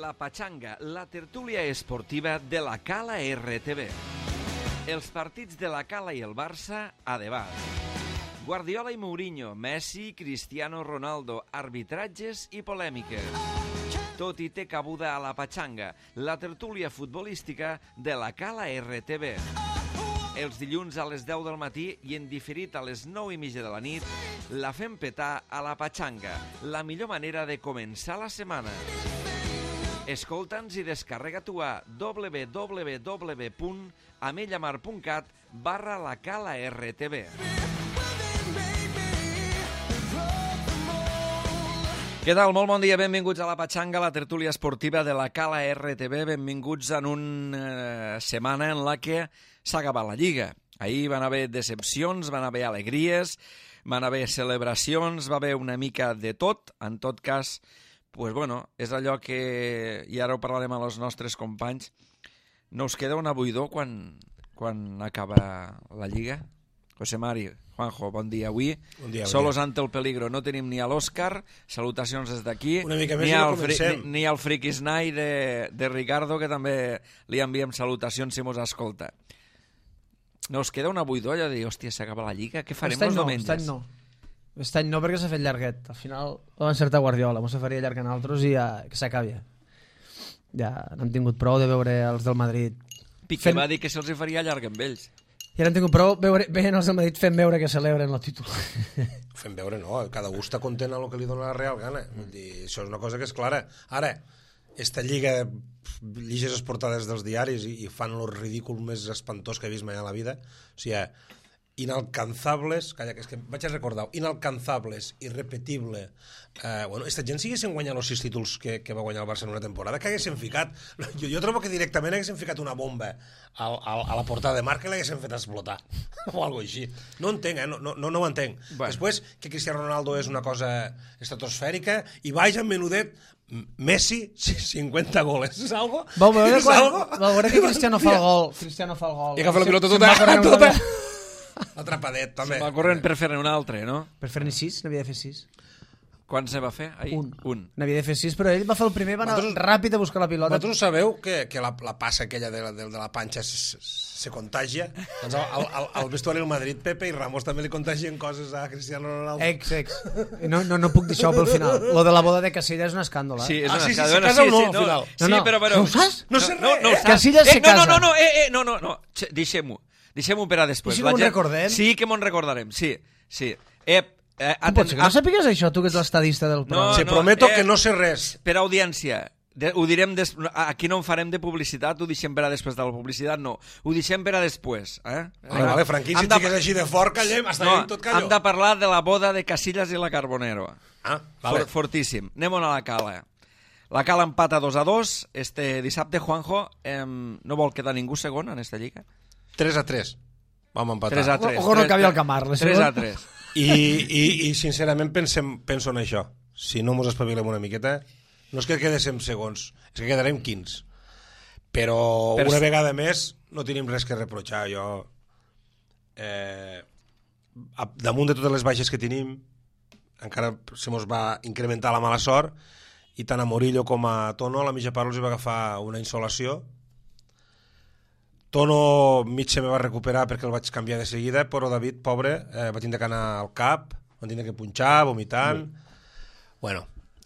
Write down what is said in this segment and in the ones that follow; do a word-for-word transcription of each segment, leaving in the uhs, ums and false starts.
La Pachanga, la tertúlia esportiva de la Cala R T V. Els partits de la Cala i el Barça a debat. Guardiola i Mourinho, Messi, Cristiano Ronaldo, arbitratges i polèmiques. Tot i té cabuda a la Pachanga, la tertúlia futbolística de la Cala R T V. Els dilluns a les deu del matí i en diferit a les nou i mitja de la nit, la fem petar a la Pachanga, la millor manera de començar la setmana. Escolta'ns i descarrega-t'ho a w w w punt amellamar punt cat barra la Cala R T V. Què tal? Molt bon dia, benvinguts a la Pachanga, la tertúlia esportiva de la Cala R T V. Benvinguts en una setmana en la que s'ha acabat la Lliga. Ahir van haver decepcions, van haver alegries, van haver celebracions, va haver una mica de tot. En tot cas, pues bueno, és allò que, i ara ho parlarem amb els nostres companys, no us queda una buidor quan, quan acaba la Lliga? José Mari, Juanjo, bon dia. Avui, bon dia, solos bon dia. ante el peligro, no tenim ni a l'Òscar, salutacions des d'aquí, una mica més ni, i no al fri, comencem. ni, ni al friquisnai de, de Ricardo, que també li enviem salutacions si mos escolta. No us queda una buidor allò de dir, hòstia, s'acaba la Lliga, què farem els no, diumenges? Aquest any no, aquest any no perquè s'ha fet llarguet. Al final ho va encertar Guardiola, mos se faria llarg en altres i ja, que s'acabi. Ja n'hem tingut prou de veure els del Madrid. Piqué fent... va dir que se'ls faria llarg amb ells. I ara hem tingut prou veure, veient els del Madrid fent veure que celebren el títol. Fent veure, no, cada un està content amb el que li dona la Real Gana. Vull dir, això és una cosa que és clara. Ara, esta Lliga, lliges les portades dels diaris i, i fan el ridícul més espantós que he vist mai a la vida. O sigui, inalcanzables, calla, que és que vaig a recordar, inalcanzables, irrepetible. Eh, bueno, esta gent si haguessin guanyat els sis títols que, que va guanyar el Barça en una temporada, que haguessin ficat, jo, jo trobo que directament haguessin ficat una bomba al, al, a la portada de marca i l'haguessin fet explotar, o alguna així. No entenc, eh? no, no, no ho entenc. Bueno. Després, que Cristiano Ronaldo és una cosa estratosfèrica, i vaja, menudet, Messi, cinquanta goles, és algo? Vau veure, és quan, algo? vau veure que Cristiano fa el gol, Cristiano fa el gol. I agafa la pilota Se, tota, se tota. Atrapadet, també. Se va corrent per fer-ne un altre, no? Per fer-ne sis, n'havia de fer sis. Quan se va fer? Ahir? Un. Un. N'havia de fer sis, però ell va fer el primer, va anar Vosaltres- ràpid a buscar la pilota. Vosaltres sabeu que, que la, la passa aquella de la, de, de la panxa se, se contagia? Doncs al, al, al vestuari del Madrid, Pepe i Ramos també li contagien coses a Cristiano Ronaldo. Ex, ex. No, no, no puc dir això pel final. Lo de la boda de Casillas és un escàndol, eh? Sí, és Ah, una sí, sí, escala. se Bueno, casa o no, sí, al final? Sí, No, no. però... però... No ho saps? No sé No, res. no ho eh? saps. Casillas eh, se no, no, casa. no, no, eh, eh, no, no, no. Xe, deixem-ho. Deixem-ho per a després. I si La no me'n gent- recordem? Sí que me'n recordarem, sí, sí. Eh, eh, Com pot ser que no sàpigues això, tu que ets l'estadista del programa? Se no, prometo eh, que no sé res. Per audiència, de, ho direm des... aquí no en farem de publicitat, ho deixem per a després de la publicitat, no. Ho deixem per a després. Eh? Vale, vale, Franquí, si Hem de- estigués així de fort, callem, està No, no, tot calló. hem de parlar de la boda de Casillas i la Carbonero. Ah, vale. For, fortíssim. Anem a la Cala. La Cala empata dos a dos. Este dissabte, Juanjo, eh, no vol quedar ningú segon en esta lliga. tres a tres. Vam empatar. tres a tres. Ojo, no acabi el Camar, la tres a segona. tres. I, i, i sincerament pensem, penso en això. Si no mos espavilem una miqueta, no és que quedéssim segons, és que quedarem quinze. Però Per una s- vegada més no tenim res que reprochar. Jo, eh, a- damunt de totes les baixes que tenim, encara se mos va incrementar la mala sort, i tant a Morillo com a Tono a la mitja part els hi va agafar una insolació. Tono mig se me va recuperar perquè el vaig canviar de seguida, però David, pobre, eh, va tindre que anar al cap, va tindre que punxar, vomitant... Bueno,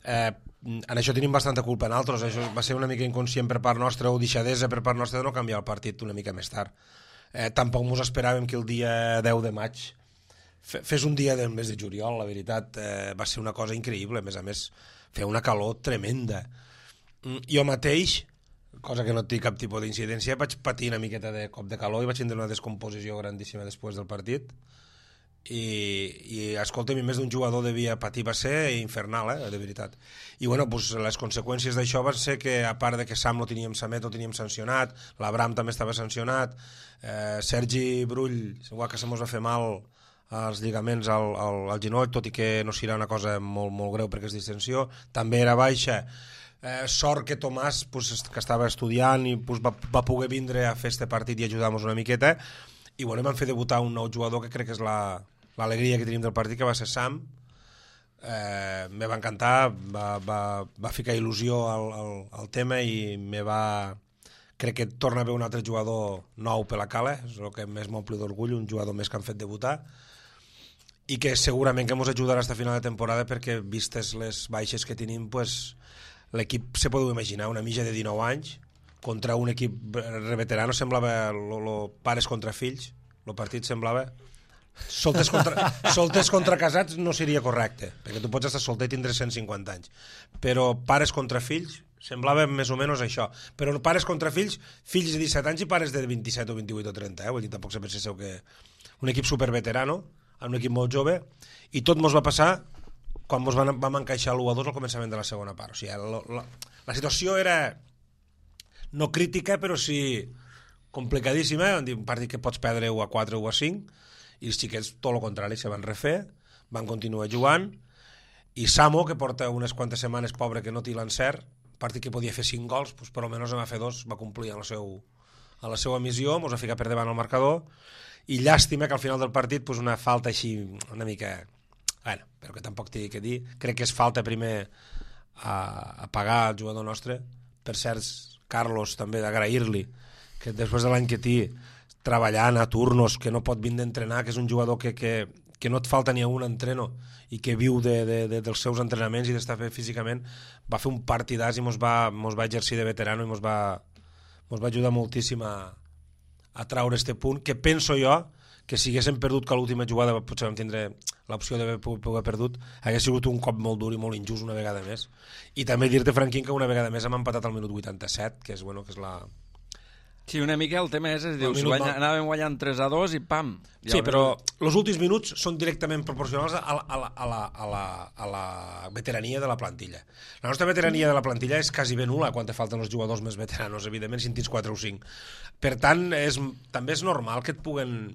eh, en això tenim bastanta culpa en altres, això va ser una mica inconscient per part nostra o deixadesa per part nostra de no canviar el partit una mica més tard. Eh, tampoc mos esperàvem que el dia deu de maig fe- fes un dia del mes de juliol, la veritat, eh, va ser una cosa increïble, a més a més, feia una calor tremenda. Mm, Jo mateix, cosa que no té cap tipus d'incidència, vaig patir una miqueta de cop de calor i vaig tindre una descomposició grandíssima després del partit. I, i escolta'm, més d'un jugador devia patir, va ser infernal, eh, de veritat. I bueno, pues, les conseqüències d'això van ser que, a part de que Sam no teníem Samet, no teníem sancionat, l'Abram també estava sancionat, eh, Sergi Brull, igual que se mos va fer mal als lligaments al, al, al genoll, tot i que no serà una cosa molt, molt greu perquè és distensió, també era baixa. Eh, sort que Tomàs, pues, que estava estudiant i pues, va, va poder vindre a fer este partit i ajudar-nos una miqueta, i bueno, vam fer debutar un nou jugador que crec que és la l'alegria que tenim del partit, que va ser Sam, eh, me va encantar, va, va, va ficar il·lusió al, al, al tema i me va... Crec que torna a haver un altre jugador nou per la Cala, és el que més m'omple d'orgull, un jugador més que han fet debutar, i que segurament que ens ajudarà fins a final de temporada perquè, vistes les baixes que tenim, pues, l'equip se podeu imaginar, una mitja de dinou anys, contra un equip reveterano, semblava lo, lo pares contra fills, el partit semblava... Solters contra, solters contra casats no seria correcte, perquè tu pots estar solter i tindre cent cinquanta anys, però pares contra fills semblava més o menys això, però pares contra fills, fills de disset anys i pares de vint-i-set o vint-i-vuit o trenta, eh? Vull dir, tampoc se penseu que un equip superveterano, un equip molt jove, i tot mos va passar quan mos vam, vam encaixar l'u a dos al començament de la segona part. O sigui, la, la, la situació era no crítica, però sí complicadíssima, un partit que pots perdre u a quatre o u a cinc, i els xiquets tot el contrari, se van refer, van continuar jugant, i Samo, que porta unes quantes setmanes pobre que no té l'encert, partit que podia fer cinc gols, doncs per almenys en va fer dos, va complir en la, seu, en la seva missió, mos va ficar per davant el marcador, i llàstima que al final del partit doncs una falta així una mica, bueno, però que tampoc t'he que dir, crec que és falta primer a, a pagar al jugador nostre, per cert, Carlos també d'agrair-li, que després de l'any que té, treballant a turnos, que no pot vindre a entrenar, que és un jugador que, que, que no et falta ni a un entreno i que viu de, de, de, dels seus entrenaments i d'estar bé físicament, va fer un partidàs i mos va, mos va exercir de veterano i mos va, mos va ajudar moltíssim a, a traure este punt, que penso jo que si haguéssim perdut que l'última jugada potser vam tindre l'opció d'haver pogut perdut, hagués sigut un cop molt dur i molt injust una vegada més. I també dir-te, Franquín, que una vegada més hem empatat al minut vuitanta-set, que és, bueno, que és la... Sí, una mica el tema és, és dius, guanya, va... anàvem guanyant tres a dos i pam. Sí, però els últims minuts són directament proporcionals a la, a, la, a, la, a, la, a la veterania de la plantilla. La nostra veterania de la plantilla és quasi ben nul·la quan te falten els jugadors més veteranos, evidentment, si en tens quatre o cinc. Per tant, és, també és normal que et puguen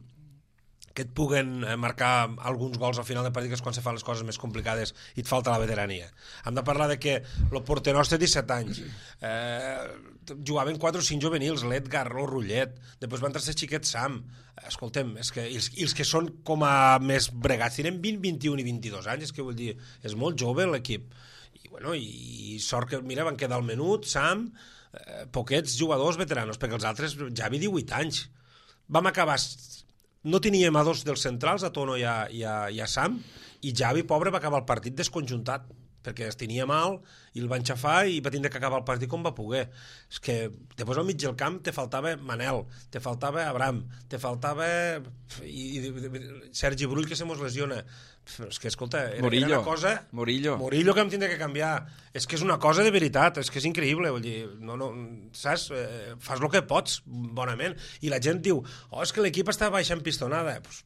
que et puguen marcar alguns gols al final del partit, que és quan se fan les coses més complicades i et falta la veterania. Hem de parlar de que el porter nostre té disset anys, eh, jugaven quatre o cinc juvenils, l'Edgar, el Rullet, després van entrar els xiquets Sam. Escoltem, és que, i, els, i els que són com a més bregats tenen vint, vint-i-un i vint-i-dos anys, és que vull dir, és molt jove l'equip. I, bueno, i, i sort que, mira, van quedar al menut, Sam, eh, poquets jugadors veteranos, perquè els altres, Javi, divuit anys. Vam acabar... No teníem a dos dels centrals, a Tono i a, i a, i a Sam, i Javi, pobre, va acabar el partit desconjuntat, perquè es tenia mal, i el van xafar i va tindre que acabar el partit com va poder. És que després al mig del camp te faltava Manel, te faltava Abraham, te faltava i, i, Sergi Brull, que se mos lesiona. És que, escolta, era, era una cosa... Murillo. Murillo que em tindrà que canviar. És que és una cosa de veritat, és que és increïble, vull dir, no, no, saps? Eh, fas el que pots, bonament. I la gent diu, oh, és que l'equip està baixant pistonada. Pues,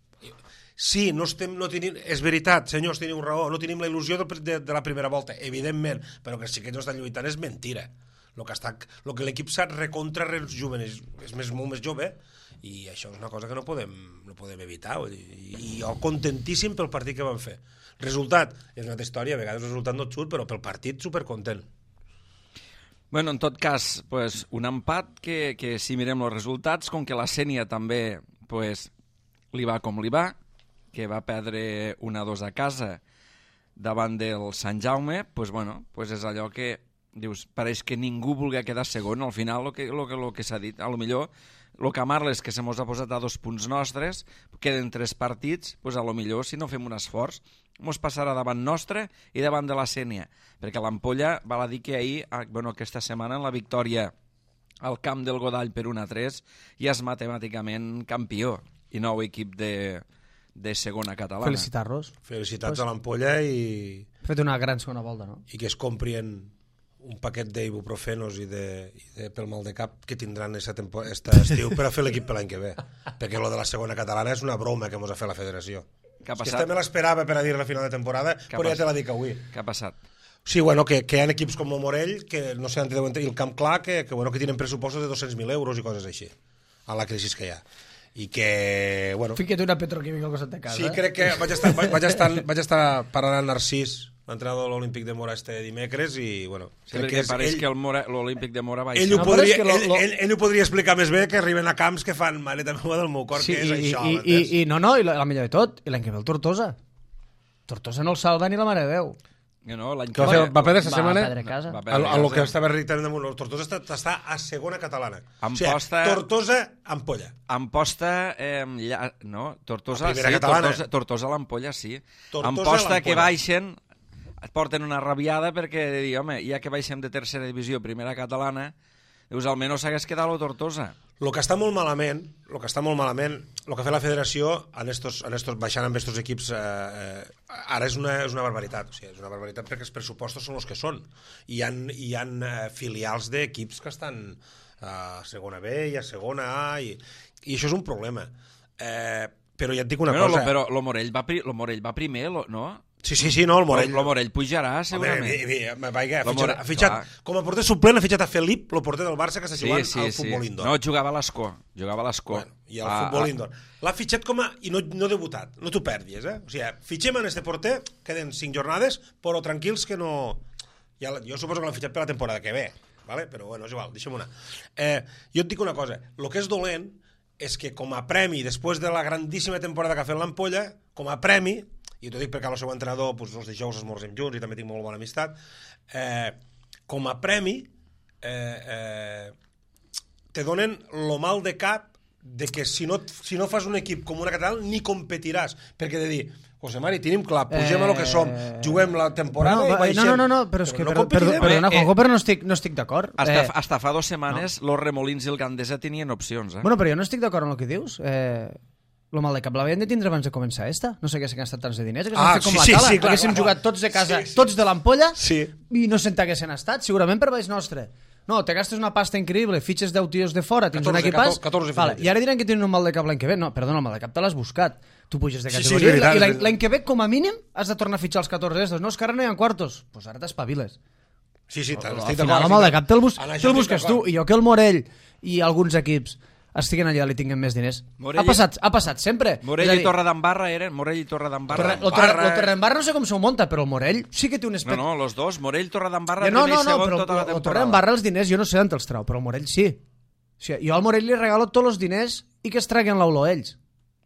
sí, no estem, no tenim, és veritat, senyors, teniu raó, no tenim la il·lusió de, de, de la primera volta, evidentment, però que sí que no estan lluitant és mentira. Lo que, està, lo que l'equip s'ha recontra rejuveneix, és més, molt més jove, i això és una cosa que no podem, no podem evitar. I, i jo contentíssim pel partit que vam fer. Resultat, és una altra història, a vegades el resultat no et surt, però pel partit supercontent. Bueno, en tot cas, pues, un empat que, que si mirem els resultats, com que la Sénia també pues, li va com li va, que va perdre un a dos a casa davant del Sant Jaume, pues, bueno, pues és allò que dius, pareix que ningú vulgui quedar segon. Al final, el que, lo que, lo que s'ha dit, a lo millor, el que Marles, que se mos ha posat a dos punts nostres, queden tres partits, pues a lo millor, si no fem un esforç, mos passarà davant nostre i davant de la Sénia, perquè l'Ampolla val a dir que ahir, bueno, aquesta setmana, en la victòria al camp del Godall per un a tres, ja és matemàticament campió i nou equip de, de segona catalana. Felicitar-los. Felicitats pues, a l'Ampolla i... Ha fet una gran segona volta, no? I que es comprien un paquet d'ibuprofenos i, de, i de, pel mal de cap que tindran aquest estiu per a fer l'equip per l'any que ve. Perquè lo de la segona catalana és una broma que mos ha fet la federació. Què ha passat? És que també l'esperava per a dir la final de temporada, però ja te la dic avui. Què ha passat? Sí, bueno, que, que hi ha equips com el Morell, que no sé on deuen tenir el camp clar, que, que, bueno, que tenen pressupostos de dos-cents mil euros i coses així, a la crisi que hi ha. I que, bueno... Fica't una petroquímica al costat de casa. Sí, crec que vaig estar, vaig estar, vaig estar parlant amb Narcís, l'entrenador de l'Olímpic de Mora este dimecres, i, bueno... Sí, crec que pareix ell, que l'Olímpic de Mora va... Ell, ho podria, no, ell, lo... ell, ell ho podria explicar més bé, que arriben a camps que fan maleta meva del meu cor, sí, que és i, això, i, i, i, no, no, i la, la millor de tot, i l'any que ve el Tortosa. Tortosa no el salva ni la mare de Déu. No, l'any Que va, fer, va perdre aquesta Va setmana perdre casa. Va a, perdre a lo casa. que estava irritant damunt. El Tortosa està, està a segona catalana. Amposta- O sigui, Tortosa, ampolla. Amposta, eh, lla... no, Tortosa, La primera sí, catalana. Tortosa, Tortosa a l'Ampolla, sí. Tortosa a Amposta que l'Ampolla. baixen, et porten una rabiada perquè, dir, home, ja que baixem de tercera divisió, primera catalana, dius, almenys s'hagués quedat la Tortosa. El que està molt malament, el que està molt malament, el que ha fet la federació en estos, en estos, baixant amb estos equips eh, eh, ara és una, és una barbaritat, o sigui, és una barbaritat perquè els pressupostos són els que són. Hi ha, hi ha eh, filials d'equips que estan a segona B i a segona A i, i això és un problema. Eh, però ja et dic una Bueno, cosa... lo, però lo Morell va, pri, lo Morell va primer, lo, no? Sí, sí, sí, no, el Morell... Lo, lo Morell pujarà, segurament. Home, vaja, ha Lo fitxat, Morell- ha fitxat, clar. com a porter suplent ha fitxat a Felip, el porter del Barça que està Sí, jugant sí, al sí. futbol indoor. No, jugava a l'Escó. Jugava a l'Escó. Bueno, i al Ah, futbol ah. indoor. L'ha fitxat com a... i no, no debutat, no t'ho perdis, eh? O sigui, fitxem en este porter, queden cinc jornades, però tranquils que no... Ja, jo suposo que l'han fitxat per la temporada que ve, ¿vale? Però bueno, és igual, deixem una. Eh, jo et dic una cosa, el que és dolent és que com a premi, després de la grandíssima temporada que ha fet l'Ampolla, com a premi, i t'ho dic perquè el seu entrenador, doncs, els dijous esmorzem junts i també tinc molt bona amistat, eh, com a premi eh, eh, te donen lo mal de cap de que si no, si no fas un equip com una catalana ni competiràs, perquè de dir José Mari, tenim clar, pugem a lo que som, juguem la temporada Bueno, i baixem. no, no, no, però és que, no perdó, perdó, competirem. perdona, Eh, Juanjo, però no estic, no estic d'acord. Hasta, Eh, hasta fa dues setmanes, los Remolins i el Gandesa tenien opcions, eh? Bueno, però jo no estic d'acord amb el que dius. Eh, lo mal de cap l'havien de tindre abans de començar esta. No s'haguessin gastat tants de diners, haguéssim Ah, fet com sí, la sí, Cala. sí, clar, haguéssim clar, jugat clar. tots de casa, Sí, sí. tots de l'Ampolla, Sí. i no se'n t'haguessin estat, segurament per baix nostre. No, te gastes una pasta increïble, fitxes deu tios de fora, tens un catorze, equipàs... catorze vale, fitxatges. I ara diran que tenen un mal de cap l'any que ve. No, perdona, el mal de cap te l'has buscat. Tu puges de Sí, sí, categoria és veritat, i l'any- és veritat. l'any que ve, com a mínim, has de tornar a fitxar els catorze estos. No, és que ara no hi ha quartos. Doncs pues ara t'espaviles. Sí, sí, Al estic final, d'acord. el mal de cap te'l bus En això te estic busques tu. d'acord. I jo que el Morell i alguns equips estiguen allà i tinguen més diners. Morell- Ha passat, ha passat sempre. Morell És a i dir, Torredembarra eren... Morell i Torredembarra. Torre, eren- lo Torre, Barra, lo Torredembarra no sé com s'ho munta, però el Morell sí que té un No, aspecte... no, los dos. Morell, Torredembarra, Ja, no, primer no, i no, segon però tota la el temporada. Torredembarra els diners jo no sé d'on els trau, però el Morell sí. O sigui, jo al Morell li regalo tots els diners i que es traguen l'aulo ells.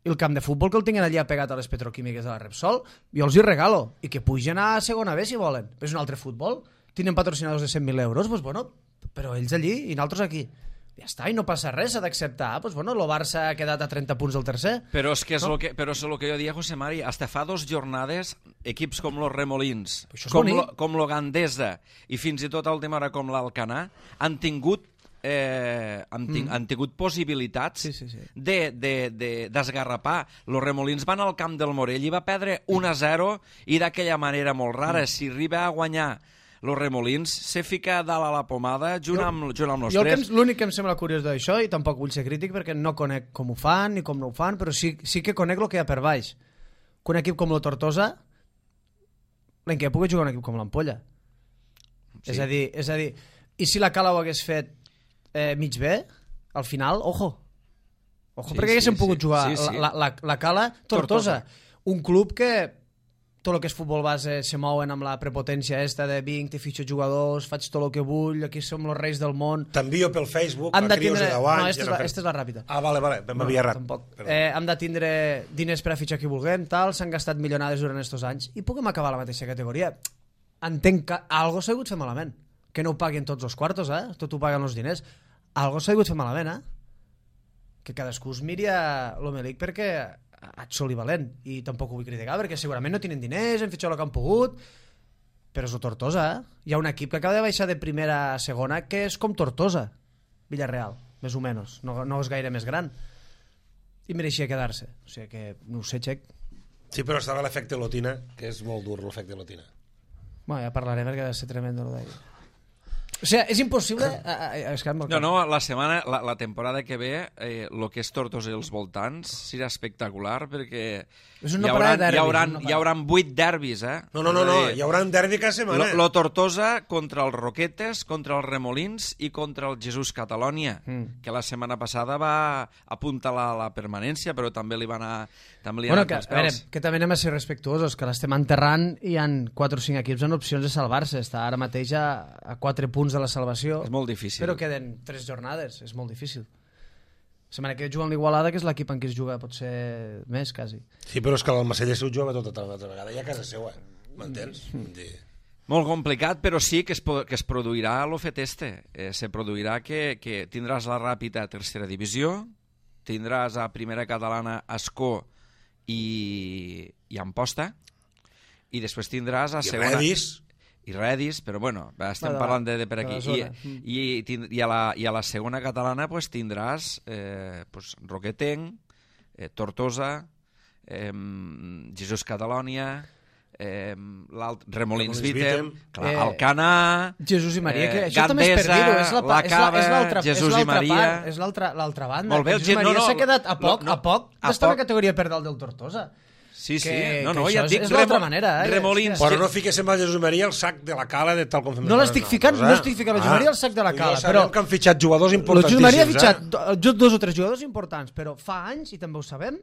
I el camp de futbol que el tinguin allà pegat a les petroquímiques de la Repsol, jo els hi regalo. I que pugen a segona B si volen. És un altre futbol. Tenen patrocinadors de cent mil euros, doncs bueno, però ells allí i nosaltres aquí. Ja està, i no passa res, s'ha d'acceptar. Doncs bueno, el Barça ha quedat a trenta punts del tercer. Però és que és No? lo que, però és lo que jo dia, José Mari, hasta fa dos jornades, equips com los Remolins, Això és com bonic. lo, com lo Gandesa i fins i tot a última hora com l'Alcanar, han tingut eh, han, ting, mm. han tingut possibilitats Sí, sí, sí. de, de, de, d'esgarrapar. Los Remolins van al camp del Morell i va perdre un a zero i d'aquella manera molt rara. Mm. Si arriba a guanyar los Remolins, se fica dalt a la pomada junt, Jo- amb, junt amb los Jo el que tres. em- l'únic que em sembla curiós d'això, i tampoc vull ser crític perquè no conec com ho fan ni com no ho fan, però sí, sí que conec el que hi ha per baix. Que un equip com la Tortosa, l'any que pugui jugar un equip com l'Ampolla. Sí. És a dir, és a dir, i si la Cala ho hagués fet eh, mig bé, al final, ojo. Ojo, Sí, perquè haguéssim sí, pogut sí. jugar Sí, sí. La, la, la Cala Tortosa. Tortosa. Un club que tot el que és futbol base se mouen amb la prepotència esta de vinc, te fitxo jugadors, faig tot el que vull, aquí som els reis del món. T'envio pel Facebook Han a de crios tindre... de deu anys. No, esta ja és, no la, fem- esta és la ràpida. Ah, vale, vale, m'havia errat. Tampoc. Perdó. Eh, hem de tindre diners per a fitxar qui vulguem, tal, s'han gastat milionades durant estos anys i puguem acabar a la mateixa categoria. Entenc que algo s'ha hagut fer malament. Que no ho paguen tots els quartos, eh? Tot ho paguen els diners. Algo s'ha hagut fer malament, eh? Que cadascú es miri a l'Homelic perquè ha soli valent. I tampoc ho vull criticar perquè segurament no tenen diners, han fitxat el que han pogut, però és el Tortosa, eh? Hi ha un equip que acaba de baixar de primera a segona que és com Tortosa, Villarreal, més o menys. No, no és gaire més gran. I mereixia quedar-se. O sigui que, no ho sé, Xec. Sí, però estava l'efecte Lotina, que és molt dur, l'efecte Lotina. Bueno, ja parlarem perquè ha de ser tremendo. Lo d'ahir. O sigui, és impossible... A, a, a, és que em- No, no, la setmana, la, la temporada que ve, eh, lo que és Tortosa i els voltants serà espectacular perquè És un hi no parar haurà, de derbis, hi haurà, un no hi parar. haurà vuit derbis, eh? No, no, no, És no, a dir, hi haurà un derbi cada setmana. Lo, lo Tortosa contra els Roquetes, contra els Remolins i contra el Jesús Catalònia, Mm. que la setmana passada va apuntalar la permanència, però també li van a, també li Bueno, han que, anat a veure, els pèls. que també anem a ser respectuosos, que l'estem enterrant i hi ha quatre o cinc equips en opcions de salvar-se. Està ara mateix a, a quatre punts de la salvació. És molt difícil. Però queden tres jornades, és molt difícil. setmana que juga amb l'Igualada, que és l'equip en què es juga potser més, quasi. Sí, però és que l'Almacelles ho juga tota l'altra vegada, ja a casa seva, m'entens? Mm. Molt complicat, però sí que es, que es produirà l'ofet este. Eh, se produirà que, que tindràs la Ràpita a tercera divisió, tindràs a primera catalana Escó i, i Amposta, i després tindràs a I segona... Redis. I Redis, però bueno, estem de la- parlant de, de per de la aquí. zona. I, i, tind- i, a la, I a la segona catalana pues, tindràs eh, pues, Roquetenc, eh, Tortosa, eh, Jesús Catalònia, eh, l'alt Remolins Remolins Vitem, Vitem. clar, Eh, Alcanar, Jesús i Maria, que eh, això també és per Gandesa, dir-ho, és la, pa- La és la, és Cava, l'altra és Jesús i l'altra Maria. part, és l'altra l'altra banda. Molt bé, que el Jesús Ge- no, Maria no, s'ha quedat a poc, no, a poc a d'estar a poc. la categoria per dalt del Tortosa. sí, sí, que- no, que no, això ja et és- dic, és l'altra Remo- manera, eh? Remolins, Però no fiquéssim a Jesús Maria el sac de la cala de tal com fem No l'estic nosaltres, ficant, no eh? estic ficant el Jesús Maria al sac de la I cala, ja sabem però- que han fitxat jugadors El importantíssims, Jesús Maria ha fitxat eh? do- jo- dos o tres jugadors importants, però fa anys, i també ho sabem,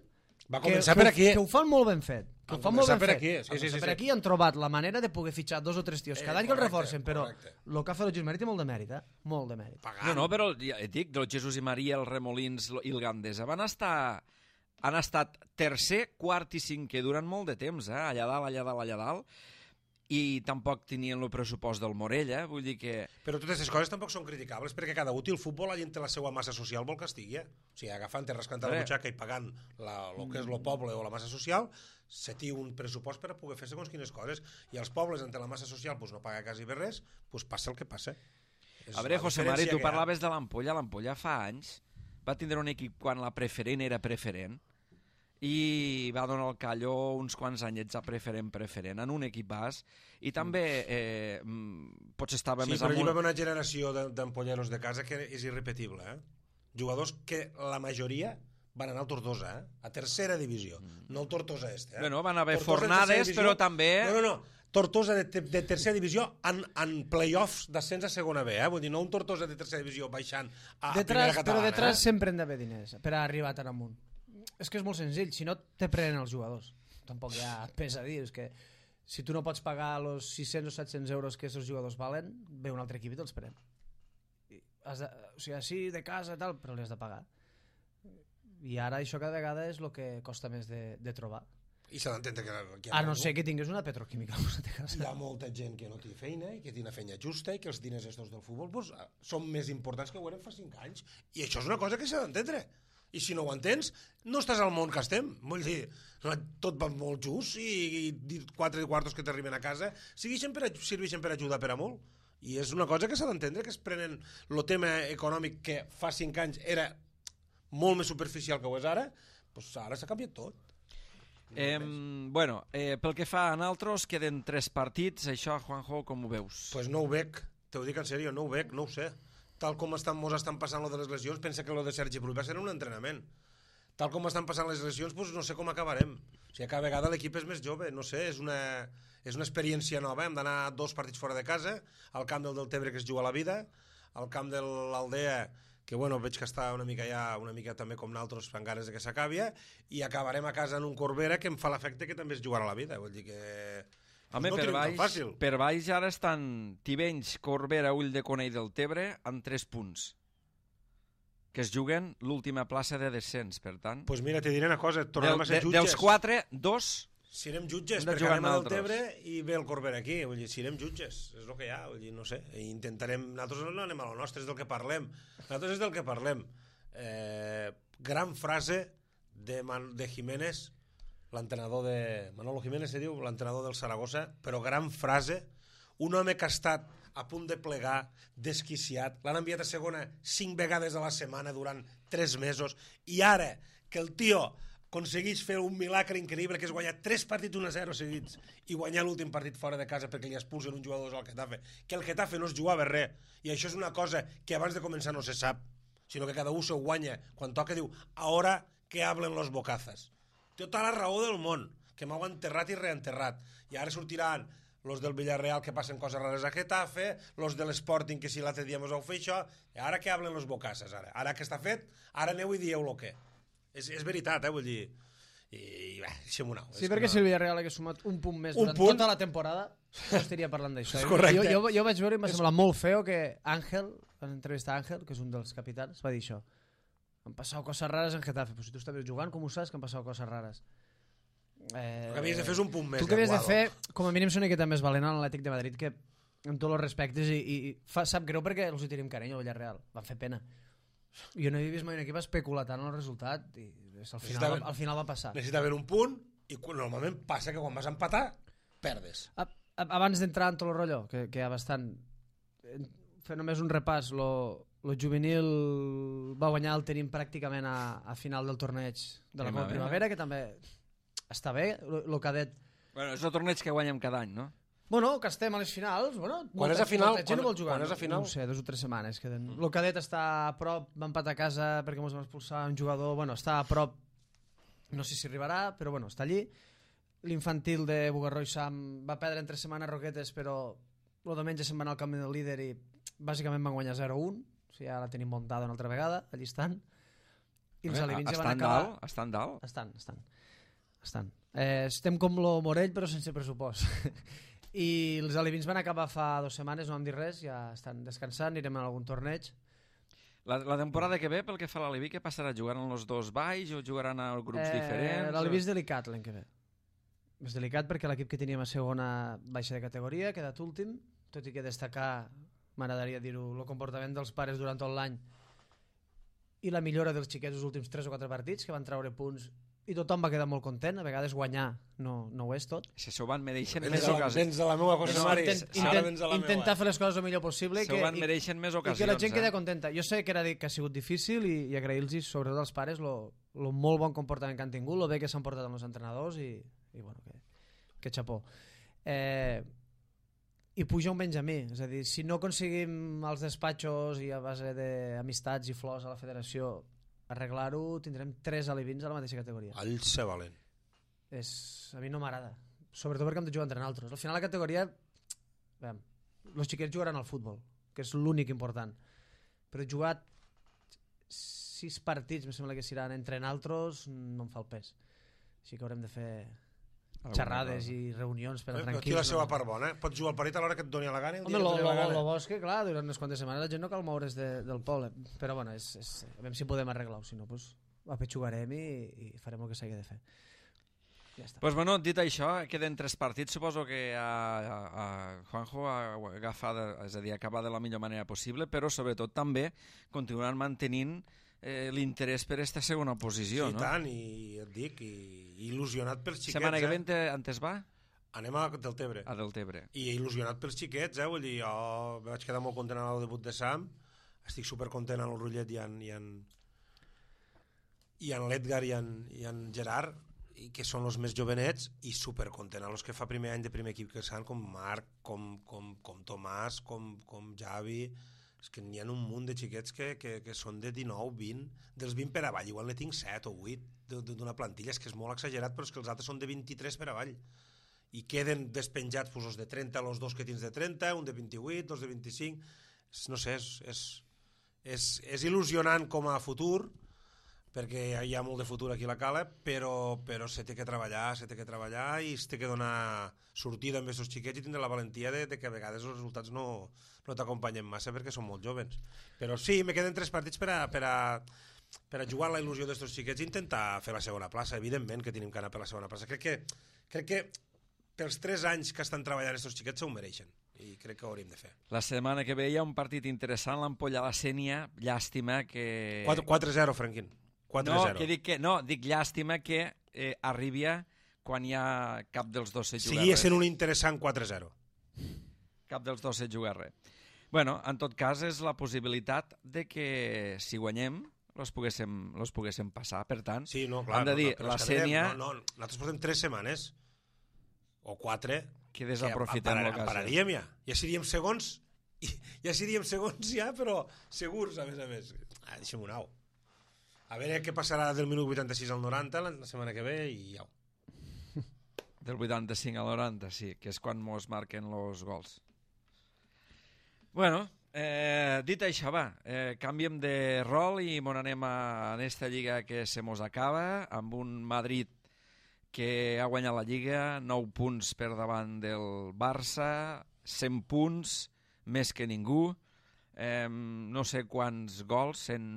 Va que, començar que, per ho- aquí. que ho fan molt ben fet. Que Van ho fan molt començar ben per fet. aquí, sí, Van sí, començar sí, per sí. aquí han trobat la manera de poder fitxar dos o tres tios. Cada Eh, any que el correcte, reforcen, però correcte. el que ha fet el Jesús Maria té molt de mèrit, eh? Molt de mèrit. Pagant. No, no, però ja et dic, el Jesús i Maria, el Remolins i el Gandesa van estar han estat tercer, quart i cinquè durant molt de temps, eh? Allà dalt, allà dalt, allà dalt, i tampoc tenien el pressupost del Morella, vull dir que... Però totes aquestes coses tampoc són criticables, perquè cada útil futbol la gent té la seva massa social vol que estigui. Eh? O sigui, agafant i rascant la Bé. butxaca i pagant la, el que és el poble o la massa social, se té un pressupost per a poder fer segons quines coses. I els pobles, entre la massa social, pues, no paga quasi bé res, pues, passa el que passa. És A veure, la José Mari, diferència tu que hi ha. parlaves de l'Ampolla. L'Ampolla fa anys va tindre un equip quan la preferent era preferent i va donar el callo uns quants anyets a preferent preferent en un equip bas i també eh, mm, potser estava Sí, més però allí va amunt. haver una generació de- d'ampolleros de casa que és irrepetible. Eh? Jugadors que la majoria van anar al Tortosa, eh? a tercera divisió, no al Tortosa este. Eh? Bueno, van haver Tortosa en fornades, tercera divisió. però també- No, no, no. Tortosa de, te- de tercera divisió en, en play-offs d'ascens a segona B, eh? Vull dir, no un Tortosa de tercera divisió baixant a, a Detrás, primera però catalana. detrás eh? sempre hem d'haver diners per a arribar tan amunt. És que és molt senzill, si no te prenen els jugadors. Tampoc hi ha pes a dir, és que si tu no pots pagar els sis-cents o set-cents euros que aquests jugadors valen, ve un altre equip i te'ls pren. I has de, o sigui, sí, de casa i tal, però li has de pagar. I ara això cada vegada és el que costa més de, de trobar. I s'ha d'entendre que, que hi ha A no molt- ser que tingués una petroquímica al costat de hi casa. ha molta gent que no té feina i que té una feina justa i que els diners estos del futbol pues, són més importants que ho eren fa cinc anys. I això és una cosa que s'ha d'entendre. I si no ho entens, no estàs al món que estem. Vull dir, tot va molt just i, i quatre quartos que t'arriben a casa serveixen per, serveixen per ajudar per a molt. I és una cosa que s'ha d'entendre, que es prenen el tema econòmic que fa cinc anys era molt més superficial que ho és ara, doncs ara s'ha canviat tot. Eh, bueno, eh, pel que fa a nosaltres, queden tres partits. Això, Juanjo, com ho veus? Pues no ho veig, te ho dic en sèrio, no ho veig, no ho sé. Tal com estan, mos estan passant lo de les lesions, pensa que lo de Sergi Prull va ser un entrenament. Tal com estan passant les lesions, pues no sé com acabarem. O sigui, cada vegada l'equip és més jove, no sé, és una, és una experiència nova. Hem d'anar dos partits fora de casa, al camp del Deltebre, que es juga la vida, al camp de l'Aldea, que bueno, veig que està una mica ja, una mica també com nosaltres, fan ganes de que s'acabi, i acabarem a casa en un Corbera que em fa l'efecte que també es jugarà la vida. Vull dir que... Home, no per, tenim tan baix, fàcil. per baix ara estan Tivenys, Corbera, Ull de Conell del Tebre amb tres punts que es juguen l'última plaça de descens, per tant. Pues mira, te diré una cosa, Del, tornem a ser de, jutges. dels quatre, dos... Serem jutges, Hem de perquè jugar anem al nosaltres. Deltebre i ve el Corbera aquí. Vull dir, serem jutges, és el que hi ha. Vull dir, no sé, i intentarem... Nosaltres no anem a lo nostre, és del que parlem. Nosaltres és del que parlem. Eh, gran frase de, Man, de Jiménez, l'entrenador de... Manolo Jiménez se diu, l'entrenador del Saragossa, però gran frase, un home que ha estat a punt de plegar, desquiciat, l'han enviat a segona cinc vegades a la setmana durant tres mesos, i ara que el tio aconsegueix fer un milagre increïble, que és guanyar tres partits un a zero seguits i guanyar l'últim partit fora de casa perquè li expulsen un jugador al Getafe, que el Getafe no es jugava res, i això és una cosa que abans de començar no se sap, sinó que cada un se guanya quan toca, diu, ahora que hablen los bocazas. Té tota la raó del món, que m'heu enterrat i reenterrat, i ara sortiran los del Villarreal que passen coses rares a Getafe, los de l'Sporting que si l'altre dia mos heu fet això, i ara que hablen los bocazas, ara. Ara que està fet, ara aneu i dieu lo que. És, és veritat, eh, vull dir... I, i bé, deixem-ho anar. Sí, perquè si el Villarreal hagués sumat un punt més Un durant punt? tota la temporada, no estaria parlant d'això. És correcte. Jo, jo, jo vaig veure i m'ha semblat molt feo que Àngel, en entrevista a Àngel, que és un dels capitans, va dir això. han passat coses rares en Getafe. Però si tu estaves jugant, com ho saps que han passat coses rares? Eh, el que havies de fer és un punt més. Tu que havies de fer, com a mínim, ser una miqueta més valent a l'Atlètic de Madrid, que amb tots els respectes, i, i fa, sap greu perquè els hi tenim carinyo al Villarreal. Van fer pena. Jo no he vist mai un equip especular tant en el resultat i al final, al final va passar. Necessitava un punt i normalment passa que quan vas a empatar, perdes. A, a, abans d'entrar en tot el rotllo, que, que hi ha bastant... Fer només un repàs, lo, lo juvenil va guanyar el tenim pràcticament a, a final del torneig de la Copa Primavera, que també està bé, el cadet... Bueno, és el torneig que guanyem cada any, no? Bueno, que estem a les finals, bueno... Quan és a final? Quan, no vol jugar, quan és a final? No ho sé, dues o tres setmanes queden. El cadet està a prop, va empatar a casa perquè ens vam expulsar un jugador, bueno, està a prop, no sé si arribarà, però bueno, està allí. L'infantil de Bugarró i Sam va perdre en tres setmanes Roquetes, però el diumenge se'n va anar al camp del líder i bàsicament van guanyar zero a un, o sigui, ja la tenim muntada una altra vegada, allí estan. I els alevins ja van acabar... Dalt? Estan dalt? Estan, estan. estan. Eh, estem com lo Morell, però sense pressupost. I els alevins van acabar fa dues setmanes, no vam dir res, ja estan descansant, anirem a algun torneig. La, la temporada que ve, pel que fa a l'Aleví, què passarà? Jugaran els dos baix o jugaran a grups eh, diferents? L'Aleví és delicat l'any que ve. És delicat perquè l'equip que teníem a segona baixa de categoria ha quedat últim, tot i que destacar, m'agradaria dir-ho, el comportament dels pares durant tot l'any i la millora dels xiquets els últims tres o quatre partits, que van treure punts i tothom va quedar molt content. A vegades guanyar no, no ho és tot. Si s'ho van mereixen Vens més de la, ocasions. vens de la meva cosa, Mari. Intent, intent, intentar fer les coses el millor possible s'ho van mereixen més ocasions, i que la gent eh? quedi contenta. Jo sé que, era, que ha sigut difícil i, i agrair-los, sobretot als pares, el molt bon comportament que han tingut, el bé que s'han portat amb els entrenadors i, i bueno, que, que xapó. Eh, I puja un Benjamí, és a dir, si no aconseguim als despatxos i a base d'amistats i flors a la federació arreglar-ho, tindrem tres alevins a la mateixa categoria. All ser valent. És, a mi no m'agrada, sobretot perquè hem de jugar entre nosaltres. Al final la categoria, veiem, els xiquets jugaran al futbol, que és l'únic important, però jugar sis partits, em sembla que seran entre nosaltres, no em fa el pes. Així que haurem de fer xerrades i reunions per a tranquils. Aquí la seva part bona, eh? Pots jugar el partit a l'hora que et doni la gana. Home, lo, lo, lo bo és que, clar, durant unes quantes setmanes la gent no cal moure's de, del poble, però bueno, és, és, a veure si podem arreglar-ho, si no, pues, apetxugarem i, i farem el que s'hagi de fer. Ja està. Pues bueno, dit això, queden tres partits, suposo que a, a, a Juanjo ha agafat, és a dir, acabar de la millor manera possible, però sobretot també continuaran mantenint eh, l'interès per aquesta segona posició, sí, no? Sí, tant, i et dic, i il·lusionat pels xiquets. Setmana que eh? ve antes va? Anem a Deltebre. A Deltebre. I il·lusionat pels xiquets, eh? Vull dir, jo vaig quedar molt content al debut de Sam, estic supercontent amb el Rullet i en, i en, i en l'Edgar i en, i en Gerard, i que són els més jovenets, i supercontent a los que fa primer any de primer equip que estan, com Marc, com, com, com Tomàs, com, com Javi. És que n'hi ha un munt de xiquets que, que, que són de dinou, vint, dels vint per avall, igual ne tinc set o vuit d'una plantilla, és que és molt exagerat, però és que els altres són de vint-i-tres per avall, i queden despenjats pues, els de trenta, els dos que tens de trenta, un de vint-i-vuit, dos de vint-i-cinc, no sé, és, és, és, és il·lusionant com a futur, perquè hi ha molt de futur aquí a la Cala, però, però se té que treballar, se té que treballar i es té que donar sortida amb aquests xiquets i tindre la valentia de, de que a vegades els resultats no, no t'acompanyen massa perquè són molt joves. Però sí, me queden tres partits per a, per a, per a jugar la il·lusió d'aquests xiquets i intentar fer la segona plaça. Evidentment que tenim que anar per la segona plaça. Crec que, crec que pels tres anys que estan treballant aquests xiquets s'ho mereixen i crec que ho hauríem de fer. La setmana que ve hi ha un partit interessant, l'Ampolla la Sénia, llàstima que... quatre zero, Franquín. No, que dic que, no, dic llàstima que eh, arribi quan hi ha cap dels dos se juga Seguia res. sent un interessant quatre zero. Cap dels dos se juga res. Bueno, en tot cas és la possibilitat de que si guanyem los poguéssim, los poguéssim passar, per tant sí, no, clar, hem de dir, no, la no, Sénia no, no, nosaltres portem tres setmanes o quatre que desaprofitem que l'ocasió. Pararíem ja, ja seríem segons ja seríem segons ja, però segurs a més a més. Ah, deixem un au. A veure què passarà del minut vuitanta-sis al noranta la setmana que ve i au. Del vuitanta-cinc al noranta, sí, que és quan mos marquen los gols. Bueno, eh, dit això, va, eh, canviem de rol i mon anem a, a esta lliga que se mos acaba, amb un Madrid que ha guanyat la lliga, nou punts per davant del Barça, cent punts, més que ningú, eh, no sé quants gols, cent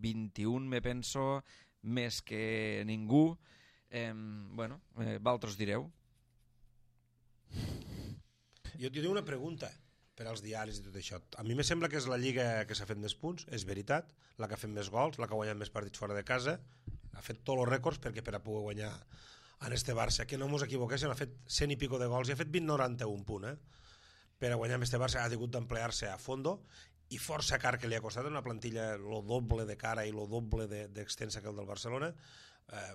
vint-i-un, me penso, més que ningú. Eh, bueno, eh, vosaltres direu. Jo, jo tinc una pregunta per als diaris i tot això. A mi me sembla que és la lliga que s'ha fet més punts, és veritat, la que ha fet més gols, la que ha guanyat més partits fora de casa, ha fet tots els rècords perquè per a poder guanyar en este Barça, que no mos equivoquéssim, ha fet cent i pico de gols i ha fet vint noranta-un punt, eh? Per a guanyar amb este Barça ha hagut d'emplear-se a fondo i força car que li ha costat una plantilla lo doble de cara i lo doble d'extensa de, que el del Barcelona. Eh,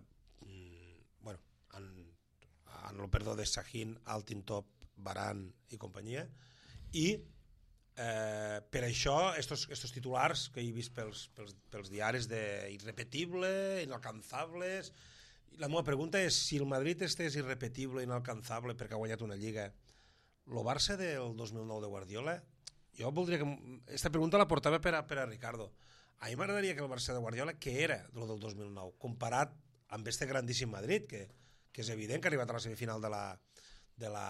bueno, en, en el perdó de Sahin, Altintop, Varane i companyia, i eh, per això estos, estos titulars que he vist pels, pels, pels diaris de irrepetible, inalcanzables. La meva pregunta és, si el Madrid este és irrepetible, inalcanzable perquè ha guanyat una lliga, el Barça del dos mil nou de Guardiola, jo voldria que... Esta pregunta la portava per a, per a Ricardo. A mi m'agradaria que el Barça de Guardiola, que era el del dos mil nou, comparat amb este grandíssim Madrid, que, que és evident que ha arribat a la semifinal de la, de la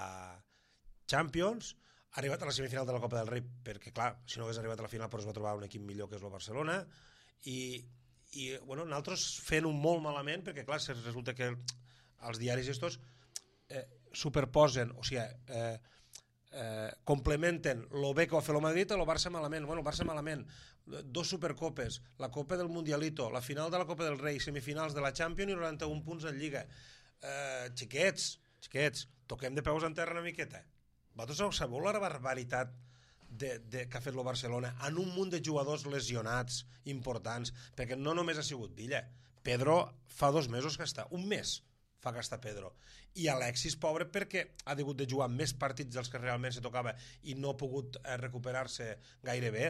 Champions, ha arribat a la semifinal de la Copa del Rei, perquè clar, si no hagués arribat a la final però es va trobar un equip millor que és el Barcelona, i, i bueno, nosaltres fent un molt malament, perquè clar, resulta que els diaris estos eh, superposen, o sigui, eh, eh, complementen lo bé que va fer el Madrid a lo Barça malament. Bueno, el Barça malament, dos supercopes, la Copa del Mundialito, la final de la Copa del Rei, semifinals de la Champions i noranta-un punts en Lliga. Eh, xiquets, xiquets, toquem de peus en terra una miqueta. Vosaltres sabeu la barbaritat de, de, que ha fet el Barcelona en un munt de jugadors lesionats importants, perquè no només ha sigut Villa, Pedro fa dos mesos que està, un mes fa que està Pedro, i Alexis, pobre, perquè ha hagut de jugar més partits dels que realment se tocava i no ha pogut eh, recuperar-se gaire bé,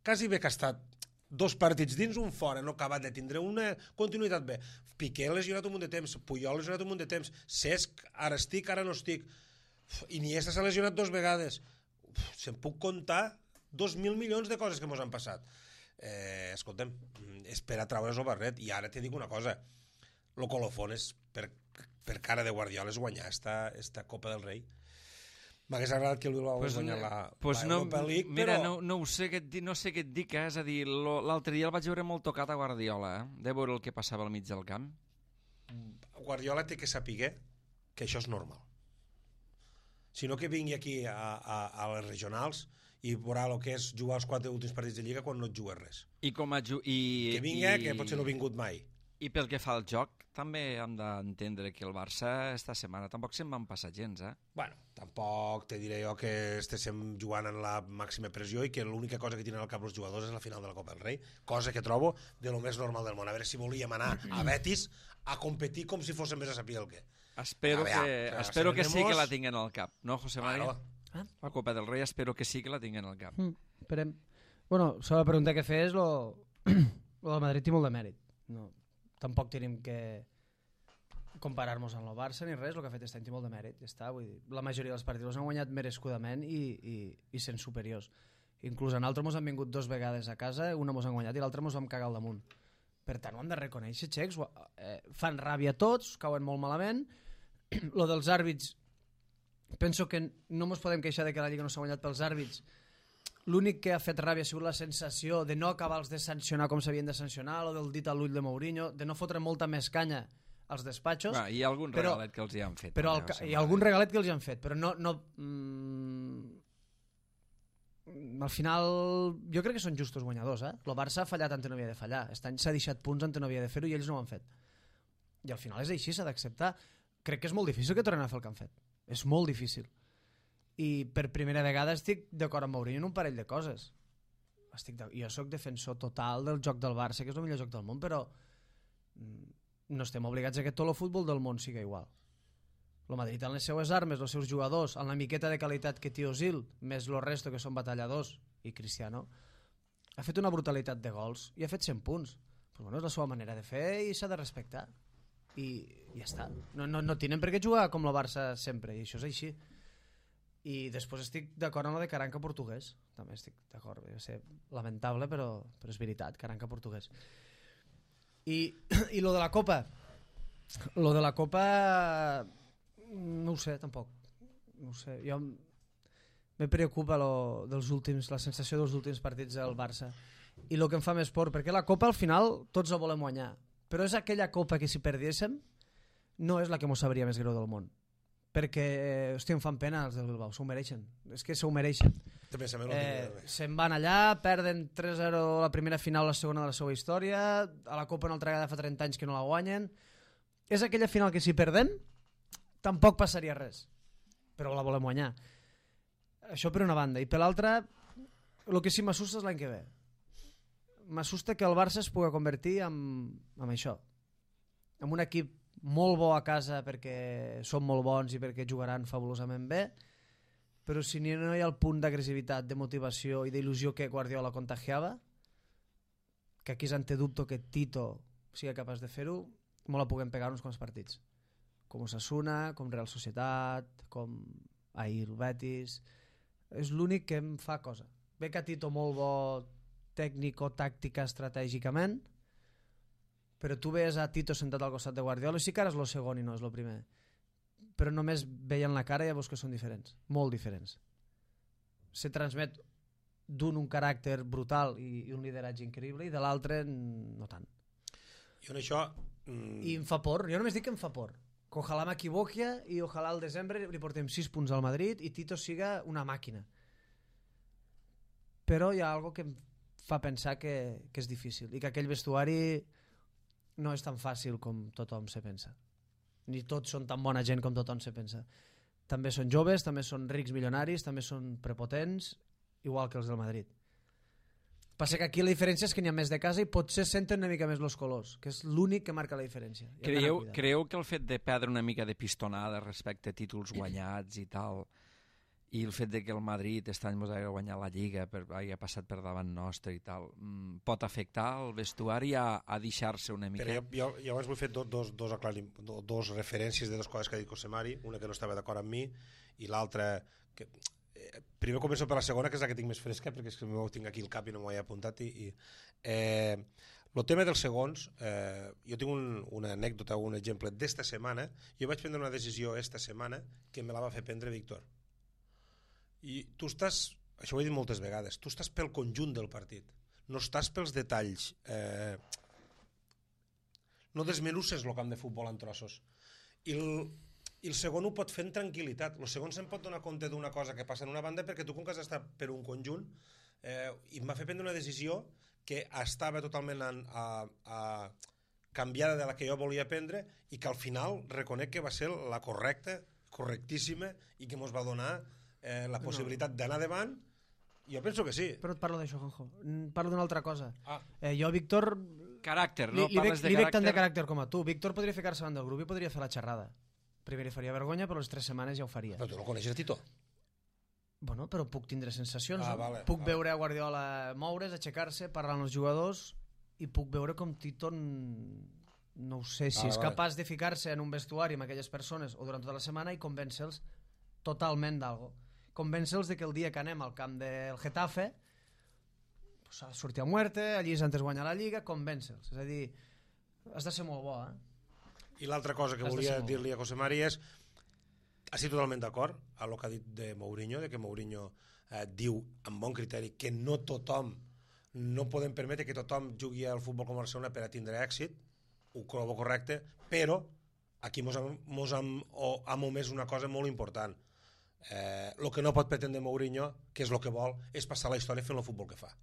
quasi bé que ha estat dos partits dins, un fora, no ha acabat de tindre una continuïtat bé. Piqué lesionat un munt de temps, Puyol lesionat un munt de temps, Cesc, ara estic, ara no estic, Iniesta s'ha lesionat dos vegades. Uf, se'n puc contar dos mil milions de coses que mos han passat. Eh, escolta'm, és per a traure's el barret. I ara te dic una cosa, lo colofón és per, per cara de Guardiola és guanyar esta, esta Copa del Rei. M'hagués agradat que el Bilbao pues guanyar la, pues la Europa no, League, mira, però... no, no, ho sé què et, no sé què et dic, eh? És a dir, l'altre dia el vaig veure molt tocat a Guardiola, eh? De veure el que passava al mig del camp. Guardiola té que saber que això és normal. Si no, que vingui aquí a, a, a les regionals i veurà el que és jugar els quatre últims partits de Lliga quan no et jugues res. I com a ju i, que vingui, i, que potser no ha vingut mai. I pel que fa al joc, també hem d'entendre que el Barça esta setmana tampoc se'n van passar gens, eh? Bueno, tampoc te diré jo que estéssim jugant en la màxima pressió i que l'única cosa que tenen al cap els jugadors és la final de la Copa del Rei, cosa que trobo de lo més normal del món. A veure si volíem anar a Betis a competir com si fóssim més a saber el què. Espero, veure, que, ja, espero que sí que la tenemos... tinguen al cap, no, José María? Claro. La Copa del Rei espero que sí que la tinguen al cap. Mm, esperem. Bueno, la pregunta que fer és lo, lo del Madrid té molt de mèrit. No, tampoc tenim que comparar-nos amb el Barça ni res, el que ha fet aquest any té molt de mèrit. Ja està, vull dir, la majoria dels partits han guanyat merescudament i, i, i sent superiors. Inclús en altres mos han vingut dos vegades a casa, una mos han guanyat i l'altra mos vam cagar al damunt. Per tant, ho hem de reconèixer, xecs, eh, fan ràbia tots, cauen molt malament. Lo dels àrbits, penso que no ens podem queixar de que la Lliga no s'ha guanyat pels àrbits. L'únic que ha fet ràbia ha sigut la sensació de no acabar-los de sancionar com s'havien de sancionar, o del dit a l'ull de Mourinho, de no fotre molta més canya als despatxos. Va, hi ha algun però, regalet que els hi han fet. Però també, el, hi ha algun regalet que els hi han fet, però no... no mm, al final jo crec que són justos guanyadors, eh? El Barça ha fallat on no havia de fallar, aquest any s'ha deixat punts on no havia de fer-ho i ells no ho han fet, i al final és així, s'ha d'acceptar. Crec que és molt difícil que tornen a fer el que han fet, és molt difícil, i per primera vegada estic d'acord amb Mourinho en un parell de coses. Estic de... jo sóc defensor total del joc del Barça, que és el millor joc del món, però no estem obligats a que tot el futbol del món siga igual. El Madrid amb les seues armes, els seus jugadors, amb la miqueta de qualitat que té Özil, més el resto que són batalladors, i Cristiano, ha fet una brutalitat de gols i ha fet cent punts. Però bueno, és la seva manera de fer i s'ha de respectar. I ja està. No, no, no tenen per què jugar com el Barça sempre, i això és així. I després estic d'acord amb la de Caranca portuguès. També estic d'acord, va ser lamentable, però, però és veritat, Caranca portuguès. I, i lo de la Copa, lo de la Copa... no ho sé, tampoc. No ho sé. Jo Me preocupa lo dels últims, la sensació dels últims partits del Barça. I el que em fa més por, perquè la Copa al final tots la volem guanyar, però és aquella Copa que si perdiéssim no és la que mos sabria més greu del món. Perquè, hòstia, em fan pena els del Bilbao, s'ho mereixen. És que s'ho mereixen. Eh, se'n van allà, perden tres zero la primera final, la segona de la seva història, a la Copa una altra vegada fa trenta anys que no la guanyen. És aquella final que si perdem tampoc passaria res, però la volem guanyar. Això per una banda. I per l'altra, el que sí m'assusta és l'any que ve. M'assusta que el Barça es pugui convertir en, en això, en un equip molt bo a casa perquè són molt bons i perquè jugaran fabulosament bé, però si no hi ha el punt d'agressivitat, de motivació i d'il·lusió que Guardiola contagiava, que aquí és ante dubto que Tito sigui capaç de fer-ho, molt la puguem pegar uns quants partits, com Osasuna, com Real Societat, com ahir Betis. És l'únic que em fa cosa. Ve que Tito molt bo tècnico-tàctica estratègicament, però tu veies a Tito sentat al costat de Guardiola i sí que ara és el segon i no és el primer, però només veien la cara i ja veus que són diferents, molt diferents. Se transmet d'un un caràcter brutal i, i un lideratge increïble i de l'altre no tant. I en això... Mm... I em fa por, jo només dic que em fa por, que ojalà m'equivoqui i ojalà al desembre li portem sis punts al Madrid i Tito siga una màquina. Però hi ha algo que em fa pensar que, que és difícil i que aquell vestuari no és tan fàcil com tothom se pensa. Ni tots són tan bona gent com tothom se pensa. També són joves, també són rics milionaris, també són prepotents, igual que els del Madrid. Passa que aquí la diferència és que n'hi ha més de casa i potser senten una mica més els colors, que és l'únic que marca la diferència. Creieu, creieu que el fet de perdre una mica de pistonada respecte a títols guanyats i tal, i el fet de que el Madrid aquest any mos hagi guanyat la Lliga, per, hagi passat per davant nostre i tal, pot afectar el vestuari a, a deixar-se una mica? Però jo, jo abans vull fer dos, dos, dos, aclarim, dos referències de les coses que ha dit Cosemari, una que no estava d'acord amb mi i l'altra que... Primer començo per la segona, que és la que tinc més fresca, perquè és que m'ho tinc aquí al cap i no m'ho he apuntat. I, i, eh, el tema dels segons, eh, jo tinc un, una anècdota, un exemple d'esta setmana. Jo vaig prendre una decisió esta setmana que me la va fer prendre Víctor. I tu estàs, això ho he dit moltes vegades, tu estàs pel conjunt del partit, no estàs pels detalls. Eh, no desmenusses el camp de futbol en trossos. I el... I el segon ho pot fer en tranquil·litat. El segon se'n pot donar compte d'una cosa que passa en una banda perquè tu com que has d'estar per un conjunt eh, i em va fer prendre una decisió que estava totalment a, a, a canviada de la que jo volia prendre i que al final reconec que va ser la correcta, correctíssima i que ens va donar eh, la possibilitat no. d'anar davant. Jo penso que sí. Però et parlo d'això, Juanjo. Parlo d'una altra cosa. Ah. Eh, jo, Víctor... Caràcter, no? Li, li, Parles veig, de li veig tant caràcter... de caràcter com a tu. Víctor podria ficar-se davant del grup i podria fer la xerrada. Primer li faria vergonya, però les tres setmanes ja ho faria. Però tu no coneixes Tito? Bueno, però puc tindre sensacions. Ah, no? vale, puc vale. veure a Guardiola moure's, aixecar-se, parlar amb els jugadors i puc veure com Tito no ho sé, si ah, és vale. capaç de ficar-se en un vestuari amb aquelles persones o durant tota la setmana i convèncer-los totalment d'algo. Convèncer-los de que el dia que anem al camp del Getafe pues, ha de sortir a muerte, allí és antes guanyar la Lliga, convèncer-los. És a dir, has de ser molt bo, eh? I l'altra cosa que Has volia dir-li a Cosemari és estic totalment d'acord amb el que ha dit de Mourinho, de que Mourinho eh, diu amb bon criteri que no tothom, no podem permetre que tothom jugui al futbol com a Barcelona per a tindre èxit, ho trobo correcte, però aquí mos hem, mos hem, hem omès una cosa molt important. Eh, el que no pot pretendre Mourinho, que és el que vol, és passar la història fent el futbol que fa.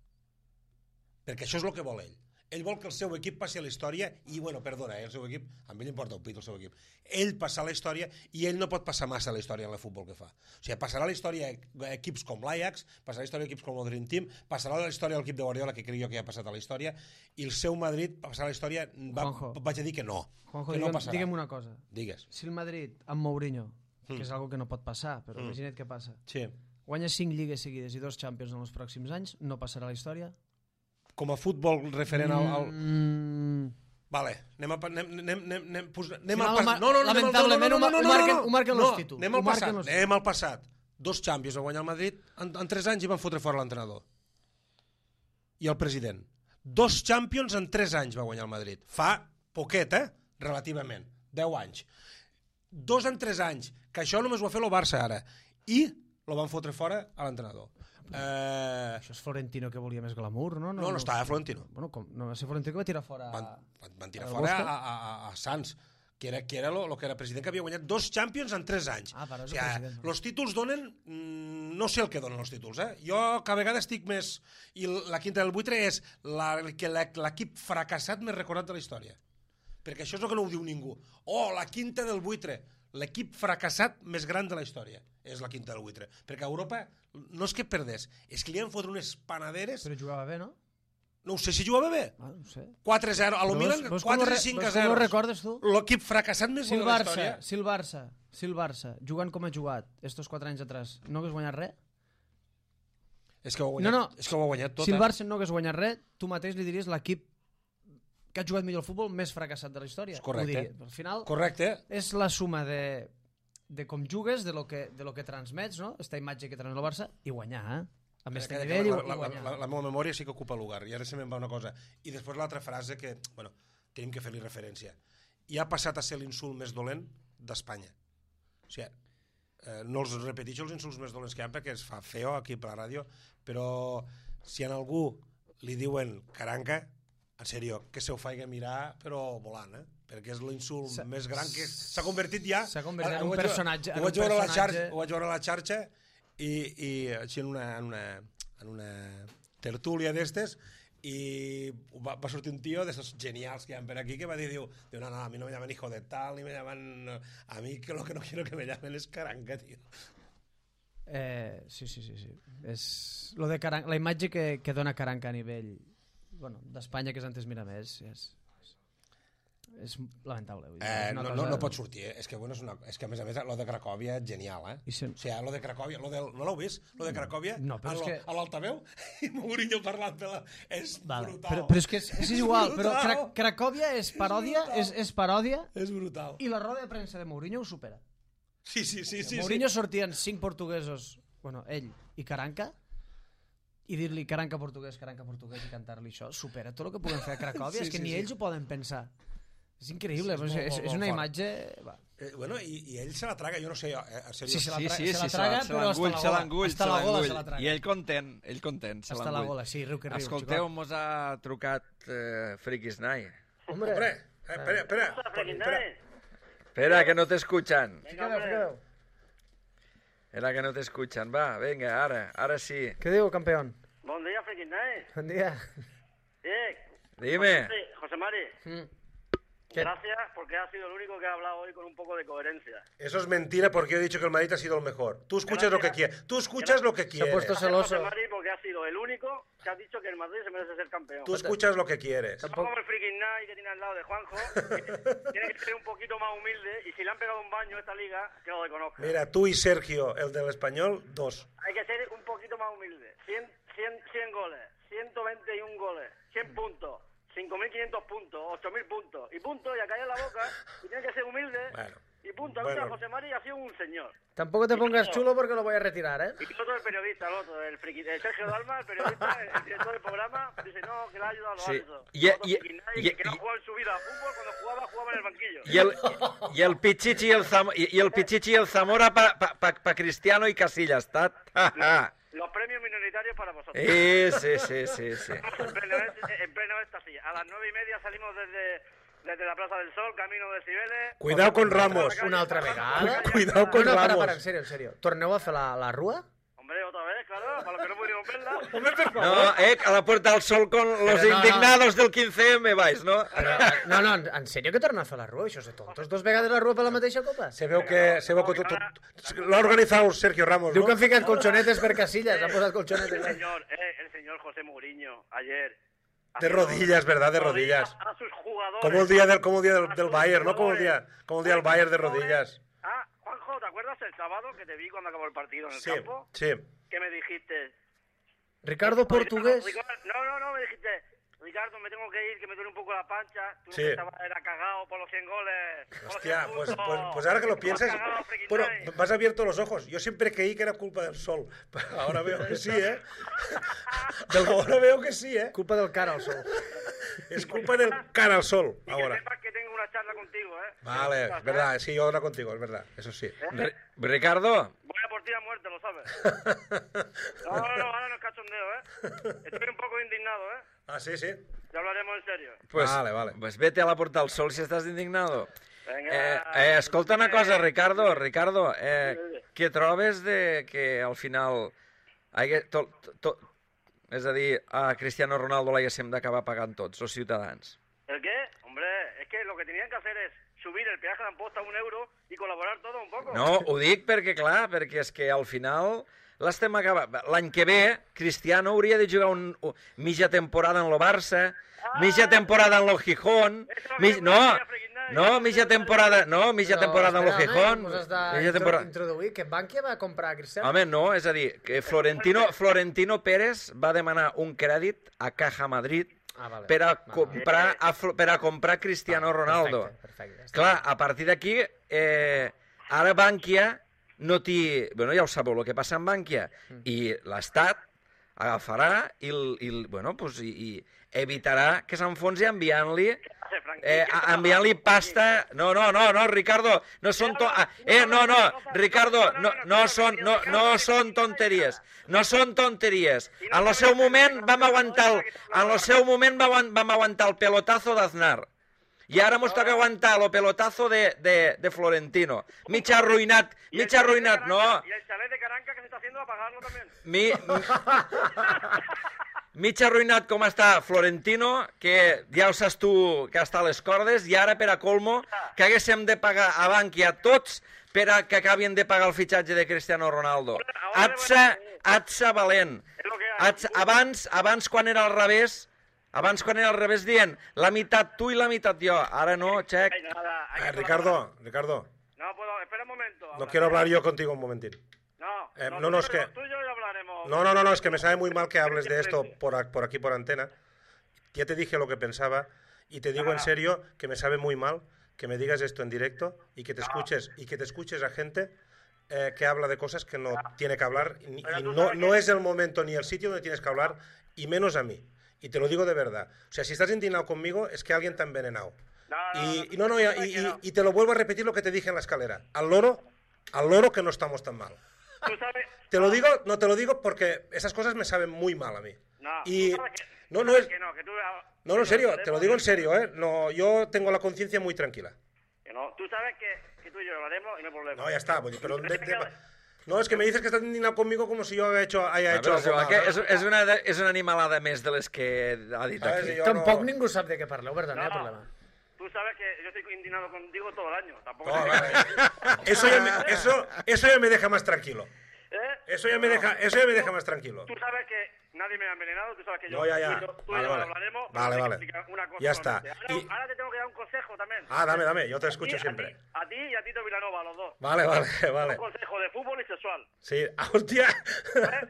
Perquè això és el que vol ell. Ell vol que el seu equip passi a la història i, bueno, perdona, eh, el seu equip, a mi li importa un pit el seu equip. Ell passar a la història i ell no pot passar massa a la història en el futbol que fa. O sigui, passarà a la història equips com l'Ajax, passarà a la història equips com el Dream Team, passarà a la història l'equip de Guardiola, que crec jo que ja ha passat a la història, i el seu Madrid passarà a la història, va, vaig a dir que no. Juanjo, que no digue'm, passarà. digue'm una cosa. Digues. Si el Madrid, amb Mourinho, Mm. que és algo que no pot passar, però Mm. imagina't què passa, Sí. guanya cinc lligues seguides i dos Champions en els pròxims anys, no passarà a la història? Com a futbol referent al... al... Mm. Vale, anem, a, anem, anem, anem, anem, pos- anem Final, al passat. ma- lamentablement, ho ma- ho marquen- ho marquen no, los títols. anem Ho al marquen passat, los- anem al passat. Dos Champions va guanyar el Madrid en, en tres anys i van fotre fora l'entrenador. I el president. Dos Champions en tres anys va guanyar el Madrid. Fa poquet, eh? Relativament. Deu anys. Dos en tres anys. Que això només ho ha fet el Barça ara. I lo van fotre fora a l'entrenador. Eh... Això és Florentino que volia més glamour, no? No, no estava Florentino. Bueno, com, no va ser Florentino que va tirar fora... Van, van, van tirar el fora Bosca? a, a, a Sants, que era, que era lo, lo que era president, que havia guanyat dos Champions en tres anys. Ah, però és o sigui, el president, no? Els títols donen... Mm, no sé el que donen els títols, eh? Jo cada vegada estic més... I la quinta del buitre és la, que la, l'equip fracassat més recordat de la història. Perquè això és el que no ho diu ningú. Oh, la quinta del buitre. L'equip fracassat més gran de la història és la quinta del buitre. Perquè a Europa no és que perdés, és que li han fotre unes panaderes... Però jugava bé, no? No ho sé si jugava bé. Ah, no sé. quatre a zero. A lo Veus- Milan, veus com quatre ho i re- cinc a veus com zero. ho recordes, tu? L'equip fracassat més Si bo el de la Barça, història. si el Barça, si el Barça, jugant com ha jugat estos quatre anys atrás, no hagués guanyat res? És que ho ha guanyat, No, no. és que ho ha guanyat tot. Si el eh? Barça no hagués guanyat res, tu mateix li diries l'equip que ha jugat millor al futbol més fracassat de la història. És correcte. Ho diria. Al final, Correcte. és la suma de, de com jugues, de lo que, de lo que transmets, no? Esta imatge que transmet el Barça, i guanyar, eh? Amb aquest Que- que nivell i, la, i la, la, guanyar. la, la meva memòria sí que ocupa lugar. I ara se me'n va una cosa. I després l'altra frase que, bueno, tenim que fer-li referència. I ha passat a ser l'insult més dolent d'Espanya. O sigui, eh, no els repeteixo els insults més dolents que hi ha perquè es fa feo aquí per la ràdio, però si a algú li diuen caranca, en sèrio, que se ho faig mirar, però volant, eh? Perquè és l'insult S'ha- més gran que s'ha convertit ja... S'ha convertit en Ho un vaig veure- personatge- en Ho vaig un veure a la personatge- xarxa, ho vaig veure a la xarxa i, i així en una, en una, en una tertúlia d'estes i va, va sortir un tio d'esos genials que hi ha per aquí que va dir, diu, diu no, no, a mi no me llaman hijo de tal, ni me llaman... A mi que lo que no quiero que me llamen es caranca, tío. Eh, sí, sí, sí, sí. És lo de Caran... la imatge que, que dona Caranca a nivell bueno, d'Espanya, que és antes mira més, és, és lamentable. Vull dir, Eh, és una no, cosa... no, no pot sortir, eh? És que, bueno, és, una, és que a més a més lo de Cracòvia és genial, eh? I si- O sigui, lo de Cracòvia, lo del, no l'heu vist? Lo de Cracòvia, No, però a, és lo, que- a l'altaveu i Mourinho parlant de la... És Vale. brutal. Però, però és que és, és igual, però Brutal. Cra Cracòvia és paròdia, brutal. és, és paròdia És brutal. i la roda de premsa de Mourinho ho supera. Sí, sí, sí. sí, Mourinho sí. sortien cinc portuguesos, bueno, ell i Caranca, i dir-li Caranca portuguès, Caranca portuguès i cantar-li això, supera tot el que puguem fer a Cracòvia, Sí, és que sí, ni sí. ells ho poden pensar. És increïble, Sí, és però és, molt, és, molt, és molt una fort. imatge... Va. Eh, bueno, i, i ell se la traga, jo no sé, eh, en sèrio. Sí, se la, Sí, tra sí, se sí, la se traga, se però hasta l'engull, la se gola. l'engull, Hasta se la gola l'engull. se la traga. I ell content, ell content, se Hasta la l'engull. gola, sí, riu que riu. Escolteu, mos ha trucat eh, Friquisnai. Hombre, Hombre, eh, espera, espera. espera. Espera, que no te escuchan. fica-veu, fica-veu. Espera, que no te escuchan. Va, venga, ara, ara sí. Què diu, campeón? Buen día, Friquisnae. Bon dia. Eh, Dime. José, José Mari, Mm. ¿Qué? gracias porque has sido el único que ha hablado hoy con un poco de coherencia. Eso es mentira porque yo he dicho que el Madrid ha sido el mejor. Tú escuchas lo que quieres. Tú escuchas lo que Se ha quieres. puesto Gracias, celoso. José Mari, porque has sido el único que ha dicho que el Madrid se merece ser campeón. Tú escuchas lo que quieres. No como el Friquisnae que tiene al lado de Juanjo, que tiene que ser un poquito más humilde y si le han pegado un baño a esta liga, que lo reconozca. Mira, tú y Sergio, el del español, dos. Hay que ser un poquito más humilde. cien, cien, cien goles, ciento veintiuno goles, cien puntos, cinco mil quinientos puntos, ocho mil puntos. Y punto, y a callar la boca. Y tiene que ser humilde. Bueno. Y punto. Bueno. Ahorita José Mari ha sido un señor. Tampoco te pongas chulo porque lo voy a retirar, ¿eh? Y el otro, el periodista, el otro, el, friki, el Sergio Dalma, el periodista, el, el director del programa, dice no, que le ha ayudado a los Sí. árbitros. Y- El otro y- Friquisnae, y- que, que no y- ha jugado en su vida a fútbol, cuando jugaba, jugaba en el banquillo. I el, i el Pichichi i el, Zam i, i el Pichichi i el Zamora pa, pa, pa, pa Cristiano i Casillas, tat. Ja, ja. Los premios minoritarios para vosotros. Sí, sí, sí, sí, sí. En pleno, en pleno éxtasis. A las nueve y media salimos desde, desde la Plaza del Sol, camino de Cibeles. Cuidado con Ramos. Una altra vegada. Cuidado con No, no, para, Ramos. para, en serio, en serio. Torneu a fer la, la rua? Hombre, otra vez, claro, para los que no pudimos verla. No, eh, a la Puerta del Sol con los Pero no, indignados del quince eme vais, no? Però, no, no, en, en sèrio que torna a fer la rua? Això és de tontos. Dos vegades la rua per la mateixa copa? Se veu que, se veu que tot, tot, lo ha organizado Sergio Ramos, Diu ¿no? que han ficat colchonetes per casillas, han posat El colchonetes. señor, eh, el señor José Mourinho, ayer. ha De sido- rodillas, ¿verdad? De rodillas. A, a sus jugadores. Como el día del, como el día del, a del sus Bayern, ¿no? Como el jugadores. día, como el día del Bayern de rodillas. Ah, Juanjo, ¿te acuerdas el sábado que te vi cuando acabó el partido en el Sí, campo? sí. Que me dijiste... Ricardo Portugués. No, no, no, me dijiste... Ricardo, me tengo que ir, que me duele un poco la pancha. Tú Sí. no estabas, era cagado por los cien goles. por los Hostia, cien pues, puntos. pues, pues ahora que lo piensas, Estabas cagado, Freaky bueno, Night. me has abierto los ojos. Yo siempre creí que era culpa del sol, pero ahora veo que sí, ¿eh? Ahora veo que sí, ¿eh? Culpa del cara al sol. Es culpa del cara al sol, Y que ahora. sepas que tengo una charla contigo, ¿eh? Vale, es verdad, sí, yo ahora contigo, es verdad, eso sí. Ri- Ricardo, Voy a por ti a muerte, lo sabes. No, no, no, ahora no es cachondeo, ¿eh? Estoy un poco indignado, ¿eh? Ah, sí, sí. Ya hablaremos en serio. pues, Vale, vale. pues vete a la Puerta del Sol si estàs indignado. Venga. Eh, eh, escolta una cosa, Ricardo, Ricardo, eh, què trobes de que al final hagué, to, to, to, és a dir, a Cristiano Ronaldo l'haguéssim d'acabar pagant tots, els ciutadans? ¿El qué? Hombre, es que lo que tenían que hacer es subir el peaje de Amposta a un euro y colaborar todo un poco. No, ho dic perquè, clar, perquè és que al final l'estem acabant. L'any que ve, Cristiano hauria de jugar un, un, mitja temporada en lo Barça, mitja temporada en lo Gijón, mig, no, no, mitja temporada, no, mitja temporada en lo Gijón, Pues has mitja de temporada... introduir que Bankia va comprar a Cristiano. Home, no, és a dir, que Florentino, Florentino Pérez va demanar un crèdit a Caja Madrid Ah, vale. per a Vale. comprar, a, Flo- per a comprar Cristiano Ronaldo. Perfecte, perfecte. Ja està. Clar, a partir d'aquí, eh, ara Bankia no té... Bueno, ja ho sabeu el que passa amb Bankia. I l'Estat agafarà i, el- i, el- bueno, pues, i, i evitarà que s'enfonsi enviant-li eh, a- enviant-li pasta... No, no, no, no, Ricardo, no són... To... ah, Eh, no, no, Ricardo, no, no, són, no, no són tonteries. No són tonteries. En el seu moment vam aguantar el, en el seu moment vam, vam aguantar el pelotazo d'Aznar. I ara mos toca aguantar el pelotazo de, de, de Florentino. Mig arruïnat, mig arruïnat, no. Y el chalet de Caranca que se está haciendo a pagarlo también. Mi, mig arruïnat com està Florentino, que ja ho saps tu que està a les cordes, i ara per a colmo que haguéssim de pagar a Bankia tots per a que acabin de pagar el fitxatge de Cristiano Ronaldo. Atsa, atsa valent. Atsa, abans, abans quan era al revés, abans quan era al revés dient la meitat tu i la meitat jo. Ara no, xec. Ay, nada, hay Eh, que Ricardo, Ricardo, No puedo, espera un momento. no habla. quiero hablar yo contigo un momentín. No, Eh, lo no, no, es tuyo- que- lo tuyo ya hablaremos. No, no, no, no, es que me sabe muy mal que hables de esto por, a- por aquí, por antena. Ya te dije lo que pensaba y te digo en serio que me sabe muy mal que me digas esto en directo y que te escuches y que te escuches a gente eh, que habla de cosas que no tiene que hablar y, y no, no es el momento ni el sitio donde tienes que hablar y menos a mí. Y te lo digo de verdad. O sea, si estás indignado conmigo es que alguien te ha envenenado. No, no, Y, no, y no, no, y, no, y- que no. y te lo vuelvo a repetir lo que te dije en la escalera. Al loro, al loro que no estamos tan mal. Tú sabes... Te lo digo, no te lo digo porque esas cosas me saben muy mal a mí. No, y tú sabes que- no, tú no sabes es, que no, que tú... no, no, en serio, te lo digo en serio, eh. No, yo tengo la conciencia muy tranquila. Que no, tú sabes que, que tú y yo hablaremos y no hay problema. No, ya está, pues, pero Pero de- te de- queda- no es que me dices que estás indignado conmigo como si yo haya hecho, haya Ah, hecho però és, algo igual mal, que ¿no? és, és, una, de- és una animalada més de les que ha dit ¿Sabes? aquí. Y yo Tampoc no- ningú sap de què parleu, per tant, no hi ha No, problema. tú sabes que yo estoy indignado contigo todo el año. Tampoco No, te- vale. Eso ya me, eso, eso ya me deja más tranquilo. ¿Eh? Eso ya me deja, eso ya me deja más tranquilo. Tú sabes que nadie me ha envenenado, tú sabes que yo... No, ya, ya. Tú, y yo- tú y Vale, yo vale. hablaremos. Vale, pero vale. te explicar Una cosa Ya está. solamente. Ahora, Y- ahora te tengo que dar un consejo también. Ah, dame, dame, yo te A escucho ti- siempre. A ti, a ti y a Tito Vilanova, los dos. Vale, vale, vale. Un consejo de fútbol y sexual. Sí, ah, hostia. ¿Eh?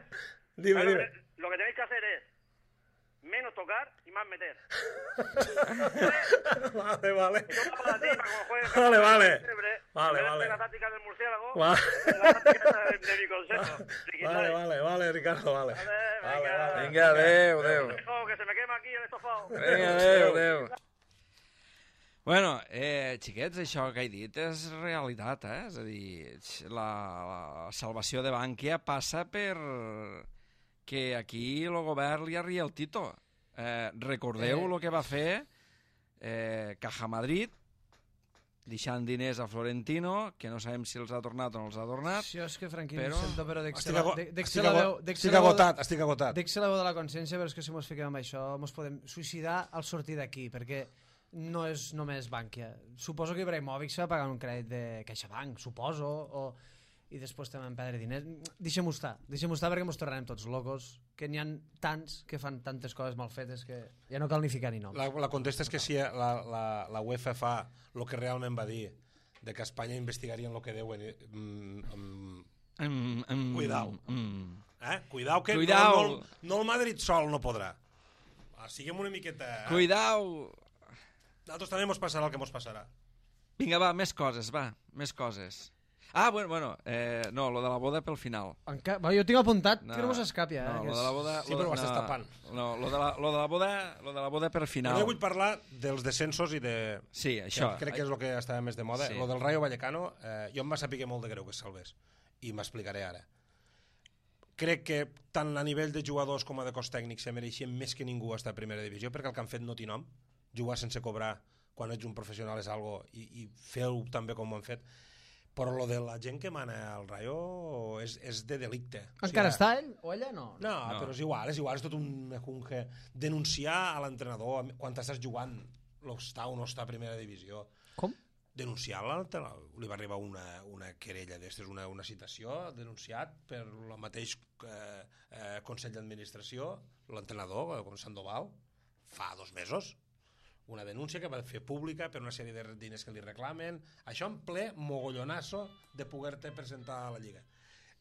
Dime, Pero dime. Lo que tenéis que hacer es menos tocar y más meter. Vale, vale. Eso va para ti, para cuando juegues Vale, vale. Célebre. Vale, En vez de vale. La táctica del murciélago. Vale. La táctica de, de mi consejo. Vale, vale, vale, Ricardo, vale. Vale, Vale, vale. Vinga, adeu, adeu. Dejo que se me quema aquí el estofado. Vinga, adeu, adeu. Bueno, eh, xiquets, això que he dit és realitat, eh? És a dir, la, la salvació de Bankia passa per que aquí el govern li arria el Tito. Eh, recordeu el que va fer eh, Caja Madrid, deixant diners a Florentino, que no sabem si els ha tornat o no els ha tornat. Jo és que, Franquí, Però- però... sento, però dic Estic, la, ago dic, dic estic, la ago veu... Dic estic la veu- agotat, estic agotat. Dic la veu de la consciència, però és que si mos fiquem amb això mos podem suïcidar al sortir d'aquí, perquè no és només Bankia. Suposo que Ibrahimovic se va pagar un crèdit de CaixaBank, suposo, o... i després també van perdre diners. Deixem-ho estar, deixem-ho estar perquè mos tornarem tots locos, que n'hi ha tants que fan tantes coses mal fetes que ja no cal ni ficar ni noms. La, la contesta és que si la, la, la UEFA fa el que realment va dir, de que Espanya investigarien el que deuen... Mm, mm, Mm, mm, Cuidao. Mm. eh? Cuidao que Cuidao. No, no, no el Madrid sol no podrà. siguem una miqueta... Cuidao! Nosaltres també mos passarà el que mos passarà. Vinga, va, més coses, va, més coses. Ah, bueno, bueno eh, no, lo de la boda pel final. Enca... Va, jo tinc apuntat No, que no mos escapi, eh? No, que lo és- de la boda... Sí, lo però de- ho estàs no, tapant. No, lo de la, lo de la boda, lo de la boda per final. Jo vull parlar dels descensos i de... Sí, això. Que crec que és el que estava més de moda. Sí. Lo del Rayo Vallecano, eh, jo em va saber molt de greu que es salvés. I m'explicaré ara. Crec que tant a nivell de jugadors com a de cos tècnic se mereixien més que ningú estar a primera divisió, perquè el que han fet no té nom. Jugar sense cobrar quan ets un professional és algo, i, i fer-ho també com ho han fet. Però lo de la gent que mana al Rayo és, és de delicte. Encara està ell o ella? No. No, No. no, però és igual, és igual, és tot un mejunje. Denunciar a l'entrenador quan t'estàs jugant lo està o no està a primera divisió. Com? Denunciar l'entrenador. Li va arribar una, una querella d'estes, una, una citació, denunciat per el mateix eh, eh, Consell d'Administració, l'entrenador, com Sandoval, fa dos mesos. Una denúncia que va fer pública per una sèrie de diners que li reclamen, això en ple mogollonasso de poder-te presentar a la Lliga,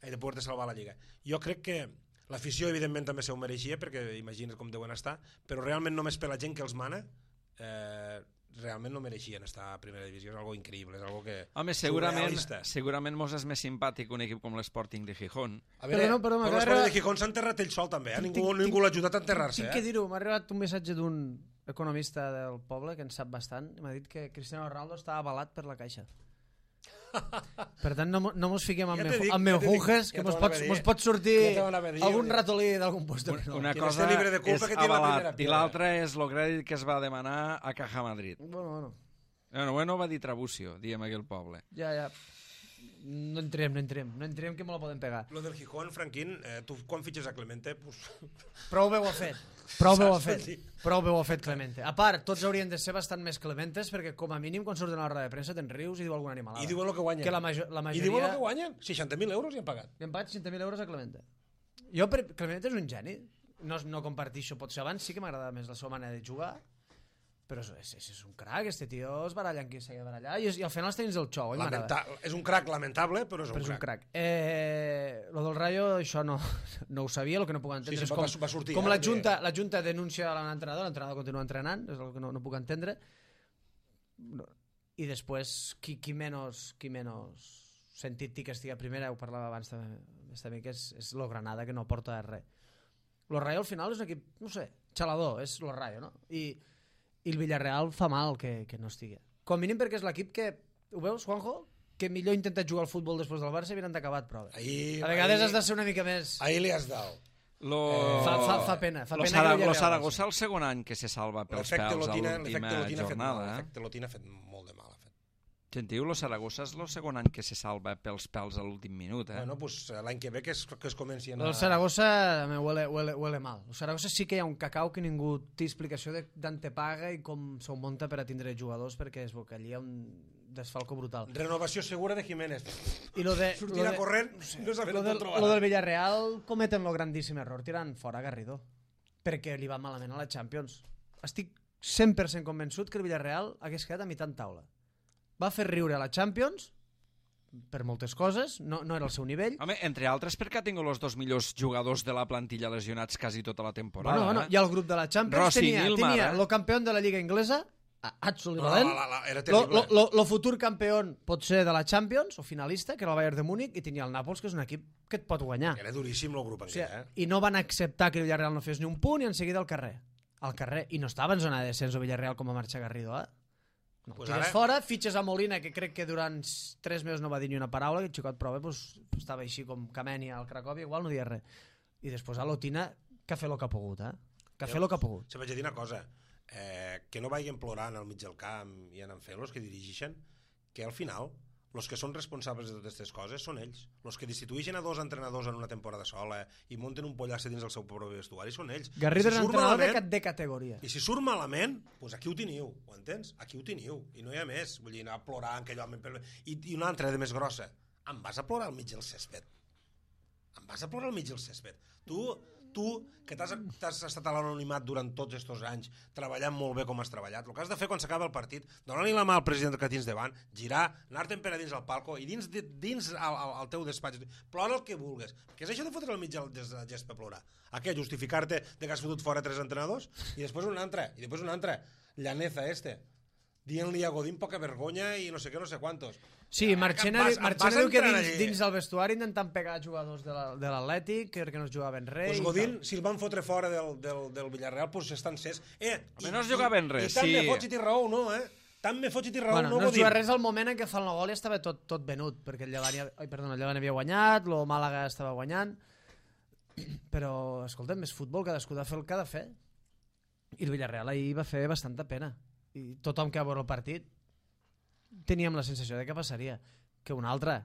eh, de poder-te salvar a la Lliga. Jo crec que l'afició evidentment també se ho mereixia, perquè imagina't com deuen estar, però realment només per la gent que els mana eh, realment no mereixien estar a primera divisió, és algo increïble, és algo que... Home, segurament, surrealista. segurament mos és més simpàtic un equip com l'Sporting de Gijón. A veure, Però no, però però m'acaba l'Esport de- de Gijón s'ha enterrat ell sol també, eh? Tinc- Ningú, tinc- ningú l'ha ajudat a enterrar-se. Tinc Eh? que dir-ho, m'ha arribat un missatge d'un economista del poble que en sap bastant i m'ha dit que Cristiano Ronaldo està avalat per la Caixa. Per tant, no, mo- no mos fiquem amb, Ja ja te dic, amb ja te dic, meujujes, ja que te mos van pot, a dir. mos pot sortir Ja te van a dir, algun ja. ratolí d'algun puesto. Una, una Quien cosa esté libre de culpa és que tiene la avalat primera i piedra. l'altra és el crèdit que es va demanar a Caja Madrid. Bueno, bueno, Bueno, bueno, va dir Trabucio, diguem aquí al poble. ja, ja. No entrem, no entrem, no entrem que me la poden pegar. Lo del Gijón, Franquín, eh, tu quan fitxes a Clemente, pues, Prou bé ho ha fet. Prou bé ho ha Saps? fet. Prou bé ho ha fet Clemente. A part, tots haurien de ser bastant més clementes perquè com a mínim quan surten a la roda de premsa te'n rius i diu alguna animalada. i diuen el que guanyen. Que la, major, la I majoria... diuen el que guanyen. seixanta mil euros i han pagat. Li han pagat seixanta mil euros a Clemente. Jo, per... Clemente és un geni. No, no compartixo, potser abans sí que m'agradava més la seva manera de jugar, però és, és, és un crac, este tio es baralla amb qui s'ha de barallar i, és, i al final els tens el xou, oi, m'agrada. Lamenta és un crac lamentable, però és un Però és un crac. crac. Eh, lo del Rayo, això no, no ho sabia, el que no puc entendre Sí, sí, és com, va- va sortir, com eh, la, que- junta, la Junta denuncia a l'entrenador, l'entrenador continua entrenant, és el que no, no puc entendre. No. I després, qui, qui, menys, qui menys sentit té que estigui a primera, ho parlava abans també, també que és, és lo Granada, que no porta res. Lo Rayo al final és un equip, no sé, xalador, és lo Rayo, no? I, i el Villarreal fa mal que, que no estigui. Com a mínim perquè és l'equip que, ho veus, Juanjo? Que millor intenta jugar al futbol després del Barça i havien acabat prova. Ahí, A vegades ahí, has de ser una mica més... ahí li has dado. Lo... Fa, fa, fa pena. Fa lo, pena Sara, que no hi lo hagi Saragossa el segon any que se salva pels L'efecte pèls a Lotina, l'última l'efecte Lotina ha fet mal. jornada. Eh? L'efecte Lotina ha fet molt de mal. Ha fet. Sentiu, lo Saragossa és el segon any que se salva pels pèls a l'últim minut. Eh? Bueno, pues, l'any que ve que es, que es comenci a... El Saragossa me huele, huele, huele mal. El Saragossa sí que hi ha un cacau que ningú té explicació de d'on te paga i com s'ho munta per a tindre jugadors, perquè es veu que allí hi ha un desfalco brutal. Renovació segura de Jiménez. I lo de, Sortir lo a de, corrent, no saber lo on del, trobar. lo del Villarreal cometen lo grandíssim error tirant fora Garrido, perquè li va malament a la Champions. Estic cent per cent convençut que el Villarreal hagués quedat a mitjan taula. Va fer riure a la Champions per moltes coses, no, no era el seu nivell. Home, entre altres perquè ha tingut els dos millors jugadors de la plantilla lesionats quasi tota la temporada. Bueno, bueno, eh? i el grup de la Champions Rossi, tenia, Nilmar, tenia eh? lo campió de la Lliga Inglesa, Atsul No, Valent, la, la, era lo, terrible. lo, lo, lo futur campió pot ser de la Champions, o finalista, que era el Bayern de Múnich, i tenia el Nàpols, que és un equip que et pot guanyar. Era duríssim el grup O en sigui, què, eh? I no van acceptar que el Villarreal no fes ni un punt i en seguida al carrer. Al carrer. I no estava en zona de descens o Villarreal com a marxa Garrido, eh? No, Pues tires ara- fora, fitxes a Molina, que crec que durant tres mesos no va dir ni una paraula, que el xicot prova, pues, estava així com Kameni al Cracòvia, igual no dia res. I després a l'Otina, que ha fet el que ha pogut, eh? Que ha fet el que ha pogut. Se vaig a dir una cosa, eh, que no vagin plorant al mig del camp i anant fent los que dirigeixen, que al final els que són responsables de totes aquestes coses són ells. Els que destitueixen a dos entrenadors en una temporada sola i munten un pollasse dins del seu propi vestuari són ells. Garrido I és si surt entrenador de, malament- ca- de categoria. I si surt malament, doncs aquí ho teniu, ho entens? Aquí ho teniu, i no hi ha més. Vull dir, anar a plorar en aquell home... Per... I, I una altra de més grossa. Em vas a plorar al mig del césped? Em vas a plorar al mig del césped? Tu, tu, que t'has t'has estat a l'anonimat durant tots aquests anys, treballant molt bé com has treballat, el que has de fer quan s'acaba el partit, donar-li la mà al president que tens davant, girar, anar-te'n per a dins al palco i dins, dins al, al, al teu despatx, plora el que vulgues, que és això de fotre el mig del gest per plorar. A què? Justificar-te de que has fotut fora tres entrenadors? I després un altre, i després un altre, llaneza este, dient-li a Godín poca vergonya i no sé què, no sé quantos. Sí, Marchena, vas, Marchena diu que dins, dins del vestuari intentant pegar jugadors de l'Atlètic perquè no es jugaven res. Pues Godín, si el van fotre fora del, del, del Villarreal, pues estan cès. Eh, i, no es jugaven res, i tant sí. me fots i t'hi raó, no, eh? Tant me fots i t'hi raó, bueno, no, no Godín. es juga res al moment en què fa el nou gol i estava tot, tot venut, perquè el Llevant, ai, perdona, el Llevant havia guanyat, el Màlaga estava guanyant, però, escolta'm, és futbol, cadascú ha de fer el que ha de fer. I el Villarreal ahir va fer bastanta pena. I tothom que va veure el partit teníem la sensació de què passaria. Que un altre.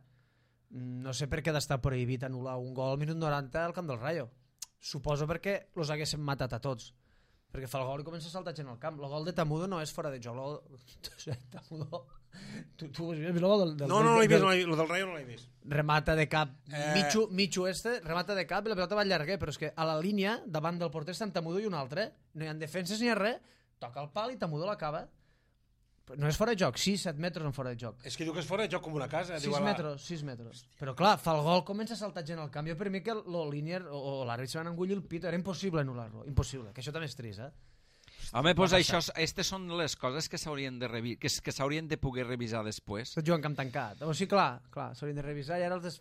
No sé per què d'estar prohibit anul·lar un gol al minut noranta al camp del Rayo. Suposo perquè els haguessin matat a tots. Perquè fa el gol i comença a saltar gent al camp. El gol de Tamudo no és fora de joc. El... Tamudo... Tu, tu has vist el gol del... del no, no, no l'he vist, el del Rayo no l'he vist. Remata de cap. Eh... Michu, Michu este, remata de cap i la pelota va llarguer, però és que a la línia, davant del porter, està en Tamudo i un altre. No hi ha defenses ni ha res. Toca el pal i Tamudo l'acaba. No és fora de joc, sis set metres en fora de joc. És que diu que és fora de joc com una casa. sis metres, sis metres. Però clar, fa el gol, comença a saltar gent al camp. Jo per mi que el línier o, o l'àrbit se van engullir el pit, era impossible anul·lar-lo. Impossible, que això també és trist, eh? Home, doncs això, aquestes són les coses que s'haurien de, revi que, que s'haurien de poder revisar després. Tot jugant camp tancat. O sigui, clar, clar s'haurien de revisar i ara els... Des...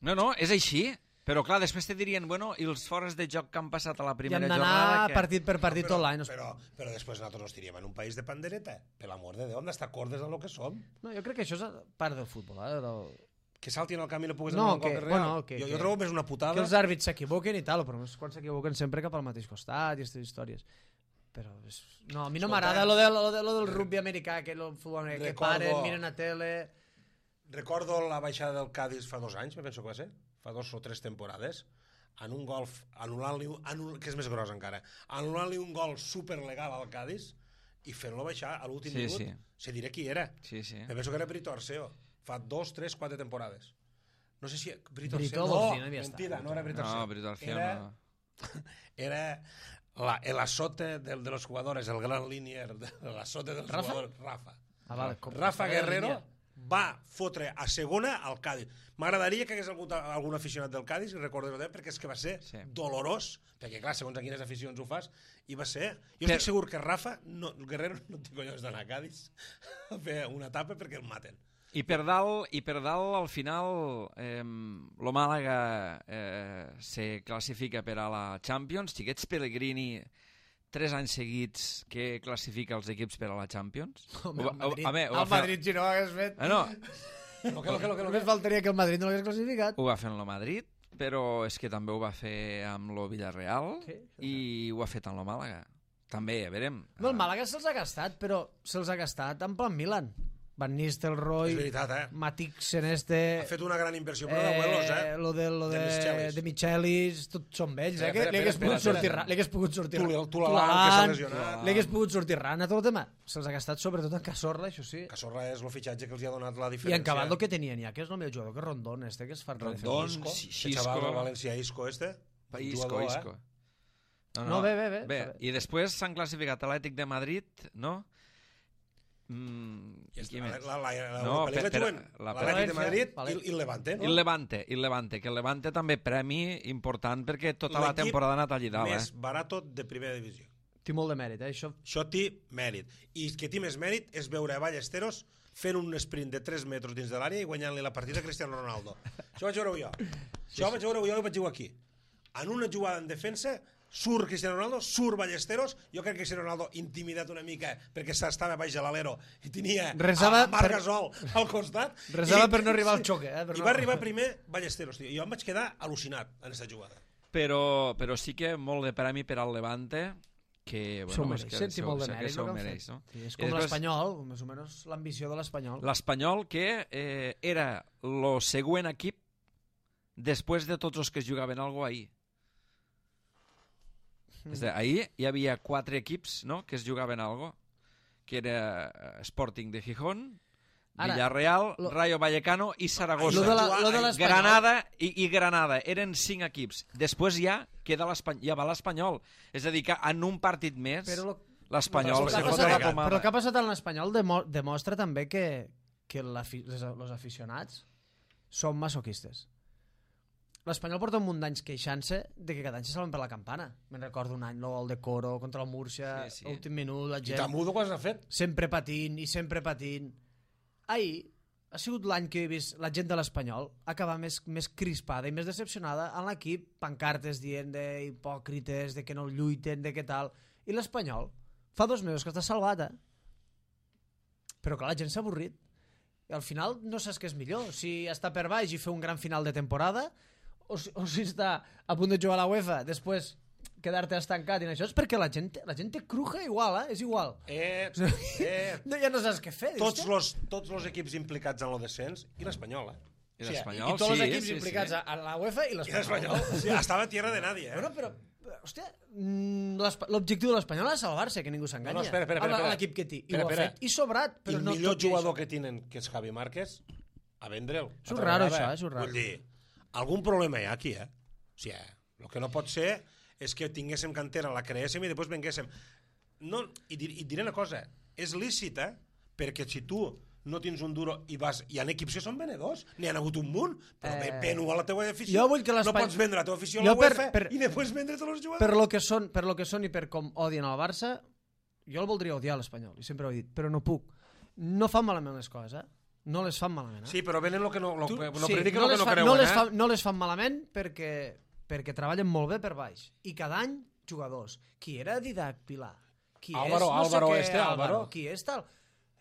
No, no, és així. Però clar, després te dirien, bueno, i els fores de joc que han passat a la primera jornada... I han d'anar que... partit per partit no, però, tot l'any. Però, però després nosaltres nos tiríem en un país de pandereta. Per l'amor de Déu, hem d'estar cordes de lo que som. No, jo crec que això és part del futbol, eh? Del... Que saltin al camí i no puguis no, anar a un que, gol real. bueno, que, jo, que, jo trobo més una putada. Que els àrbits s'equivoquen i tal, però quan s'equivoquen sempre cap al mateix costat i aquestes històries. Però és... no, a mi no m'agrada lo, de, lo, de, lo del rugby americà, que el futbol americà, que paren, miren a tele... Recordo la baixada del Cádiz fa dos anys, me penso que va ser, fa dos o tres temporades, en un golf, anul·lant-li, anul, que és més gros encara, anul·lant-li un gol superlegal al Cádiz i fent-lo baixar a l'últim sí, minut, sí. se diré qui era. Sí, sí. Me penso que era Brito Arceo, fa dos, tres, quatre temporades. No sé si... Brito, Brito Arceo, no, no mentida, no era Brito Arceo. No, Brito Arceo era, no. Era la, el azote de, de los jugadores, el gran línier, el azote dels Rafa? jugadors, Rafa. Ah, vale, com, Rafa Guerrero va fotre a segona al Cádiz. M'agradaria que hagués algun, algun aficionat del Cádiz, i recordo perquè és que va ser sí. dolorós, perquè clar, segons a quines aficions ho fas, i va ser... Jo estic segur que Rafa, no, el Guerrero no té collons d'anar a Cádiz a fer una etapa perquè el maten. I per dalt, i per dalt al final, eh, lo Màlaga eh, se classifica per a la Champions. Xiquets Pellegrini, tres anys seguits que classifica els equips per a la Champions. Home, el Madrid, a, a, a, el Madrid si no ho hagués fet... Ah, no. Lo que, lo que, lo que, lo Només faltaria que el Madrid no l'hagués classificat. Ho va fer en lo Madrid, però és que també ho va fer amb lo Villarreal sí, i ho ha fet en lo Màlaga. També, a veure... No, el Màlaga se'ls ha gastat, però se'ls ha gastat en plan Milan. Van Nistelrooy, és veritat, eh? Matic Seneste... Ha fet una gran inversió, però eh, d'abuelos, eh? Lo de, lo de, de Michelis, de Michelis tots són vells, eh? Espera, espera, Li hagués espera, pogut espera, sortir espera. Li hagués pogut sortir Tulalan, que s'ha lesionat. Li hagués pogut sortir Rana, tot el tema. Se'ls ha gastat sobretot en Cazorla, això sí. Cazorla és el fitxatge que els ha donat la diferència. I en Cabaldo que tenien ja, que és el meu jugador, que és Rondón, este, que és fan Rondón, Isco, Xisco. el xaval del València Isco, este. Isco, jugador, Isco. Eh? No, no, bé, bé, bé. bé. I després s'han classificat Atlètic de Madrid, no? Mm, I qui la, més? la, la, la, No, la, la, per- juguen la- l'Atlètic de Madrid València, i, i el Levante, I no? el Levante, i el Levante, que el Levante també premi important perquè tota la L'equip temporada ha anat allí dalt, més eh? barato de primera divisió. Té molt de mèrit, eh, això. Això té mèrit. I que té més mèrit és veure a Ballesteros fent un sprint de tres metres dins de l'àrea i guanyant-li la partida a Cristiano Ronaldo. Això vaig veure jo. Això vaig veure jo i vaig jugar aquí. En una jugada en defensa surt Cristiano Ronaldo, surt Ballesteros, jo crec que Cristiano Ronaldo intimidat una mica perquè s'estava baix de l'alero i tenia Resava a Marc per- Gasol al costat. Resava I- per no arribar al xoque, eh, per I no- va arribar primer Ballesteros, tio. I jo em vaig quedar al·lucinat en aquesta jugada. Però, però sí que molt de premi per al Levante, que, S'ho bueno, és mereix, que senti molt de que mèrit s'ho el que han mereix, fet. no? Sí, és I com després, l'Espanyol, més o menys l'ambició de l'Espanyol. l'Espanyol, que eh, era el següent equip després de tots els que es jugaven algo ahir. És a dir, ahir hi havia quatre equips, no?, que es jugaven algo, que era Sporting de Gijón, Ara, Villarreal, lo- Rayo Vallecano i Saragossa. Lo de la- lo de l'Espanyol- Granada i, i Granada. Eren cinc equips. Després ja queda l'Espanyol, ja va l'Espanyol. És a dir, que en un partit més Però lo- l'Espanyol Però se el que ha fot la passat- pomada. Però el que ha passat en l'Espanyol demo, demostra també que, que els aficionats són masoquistes. L'Espanyol porta un munt d'anys queixant-se de que cada any se salven per la campana. Me'n recordo un any, el gol de Coro contra el Múrcia, Sí, sí. últim minut, la I gent tan mudo quan s'ha fet. sempre patint i sempre patint. Ahir ha sigut l'any que he vist la gent de l'Espanyol acabar més, més crispada i més decepcionada en l'equip, pancartes dient de hipòcrites, de que no lluiten, de què tal. I l'Espanyol fa dos mesos que està salvat, eh? Però clar, la gent s'ha avorrit. I al final no saps què és millor, si està per baix i fer un gran final de temporada o si, o si està a punt de jugar a la UEFA, després quedar-te estancat i això és perquè la gent, la gent té cruja igual, eh? És igual. Eh, eh, No, ja no saps què fer. dius, tots "Hòstia". los, tots los equips implicats en el descens i l'Espanyol, eh? I l'Espanyol, I tots els sí, equips sí, implicats sí. a, a la UEFA i I l'Espanyol. l'Espanyol, o sigui, estava a tierra de nadie, eh? Bueno, però, hòstia, mm, l'Espa- l'objectiu de l'Espanyol és salvar-se, que ningú s'enganya. No, no, espera, espera, espera, Amb espera. l'equip que té. I Espera, ho ha espera. fet. I sobrat, I però el no millor tot i jugador això. que tenen, que és Javi Márquez, a vendre'l. És Altra raro, vegada, això, eh? és raro. Vull dir, algun problema hi ha aquí, eh? O sigui, el que no pot ser és que tinguéssim cantera, la creéssim i després venguéssim. No, i, dir, i diré una cosa, és lícit, eh? Perquè si tu no tens un duro i vas... Hi ha equips que són venedors, n'hi ha hagut un munt, però Eh, eh, ven-ho a la teva afició. jo vull que no l'Espany- pots vendre la teva afició a Jo la per- UEFA per- i després vendre tots els jugadors. Per lo que són, per lo que són i per com odien el Barça, jo el voldria odiar l'Espanyol, i sempre ho he dit, però no puc. No fan malament les coses, eh? No les fan malament, eh? Sí, però venen el que no, lo, Tu- no sí, prediquen no el que les no fan- creuen, no les eh? fan, no les fan malament perquè, perquè treballen molt bé per baix. I cada any, jugadors. Qui era Didac Pilar? Qui Álvaro, és, no Álvaro sé què, este, Álvaro. Qui és tal?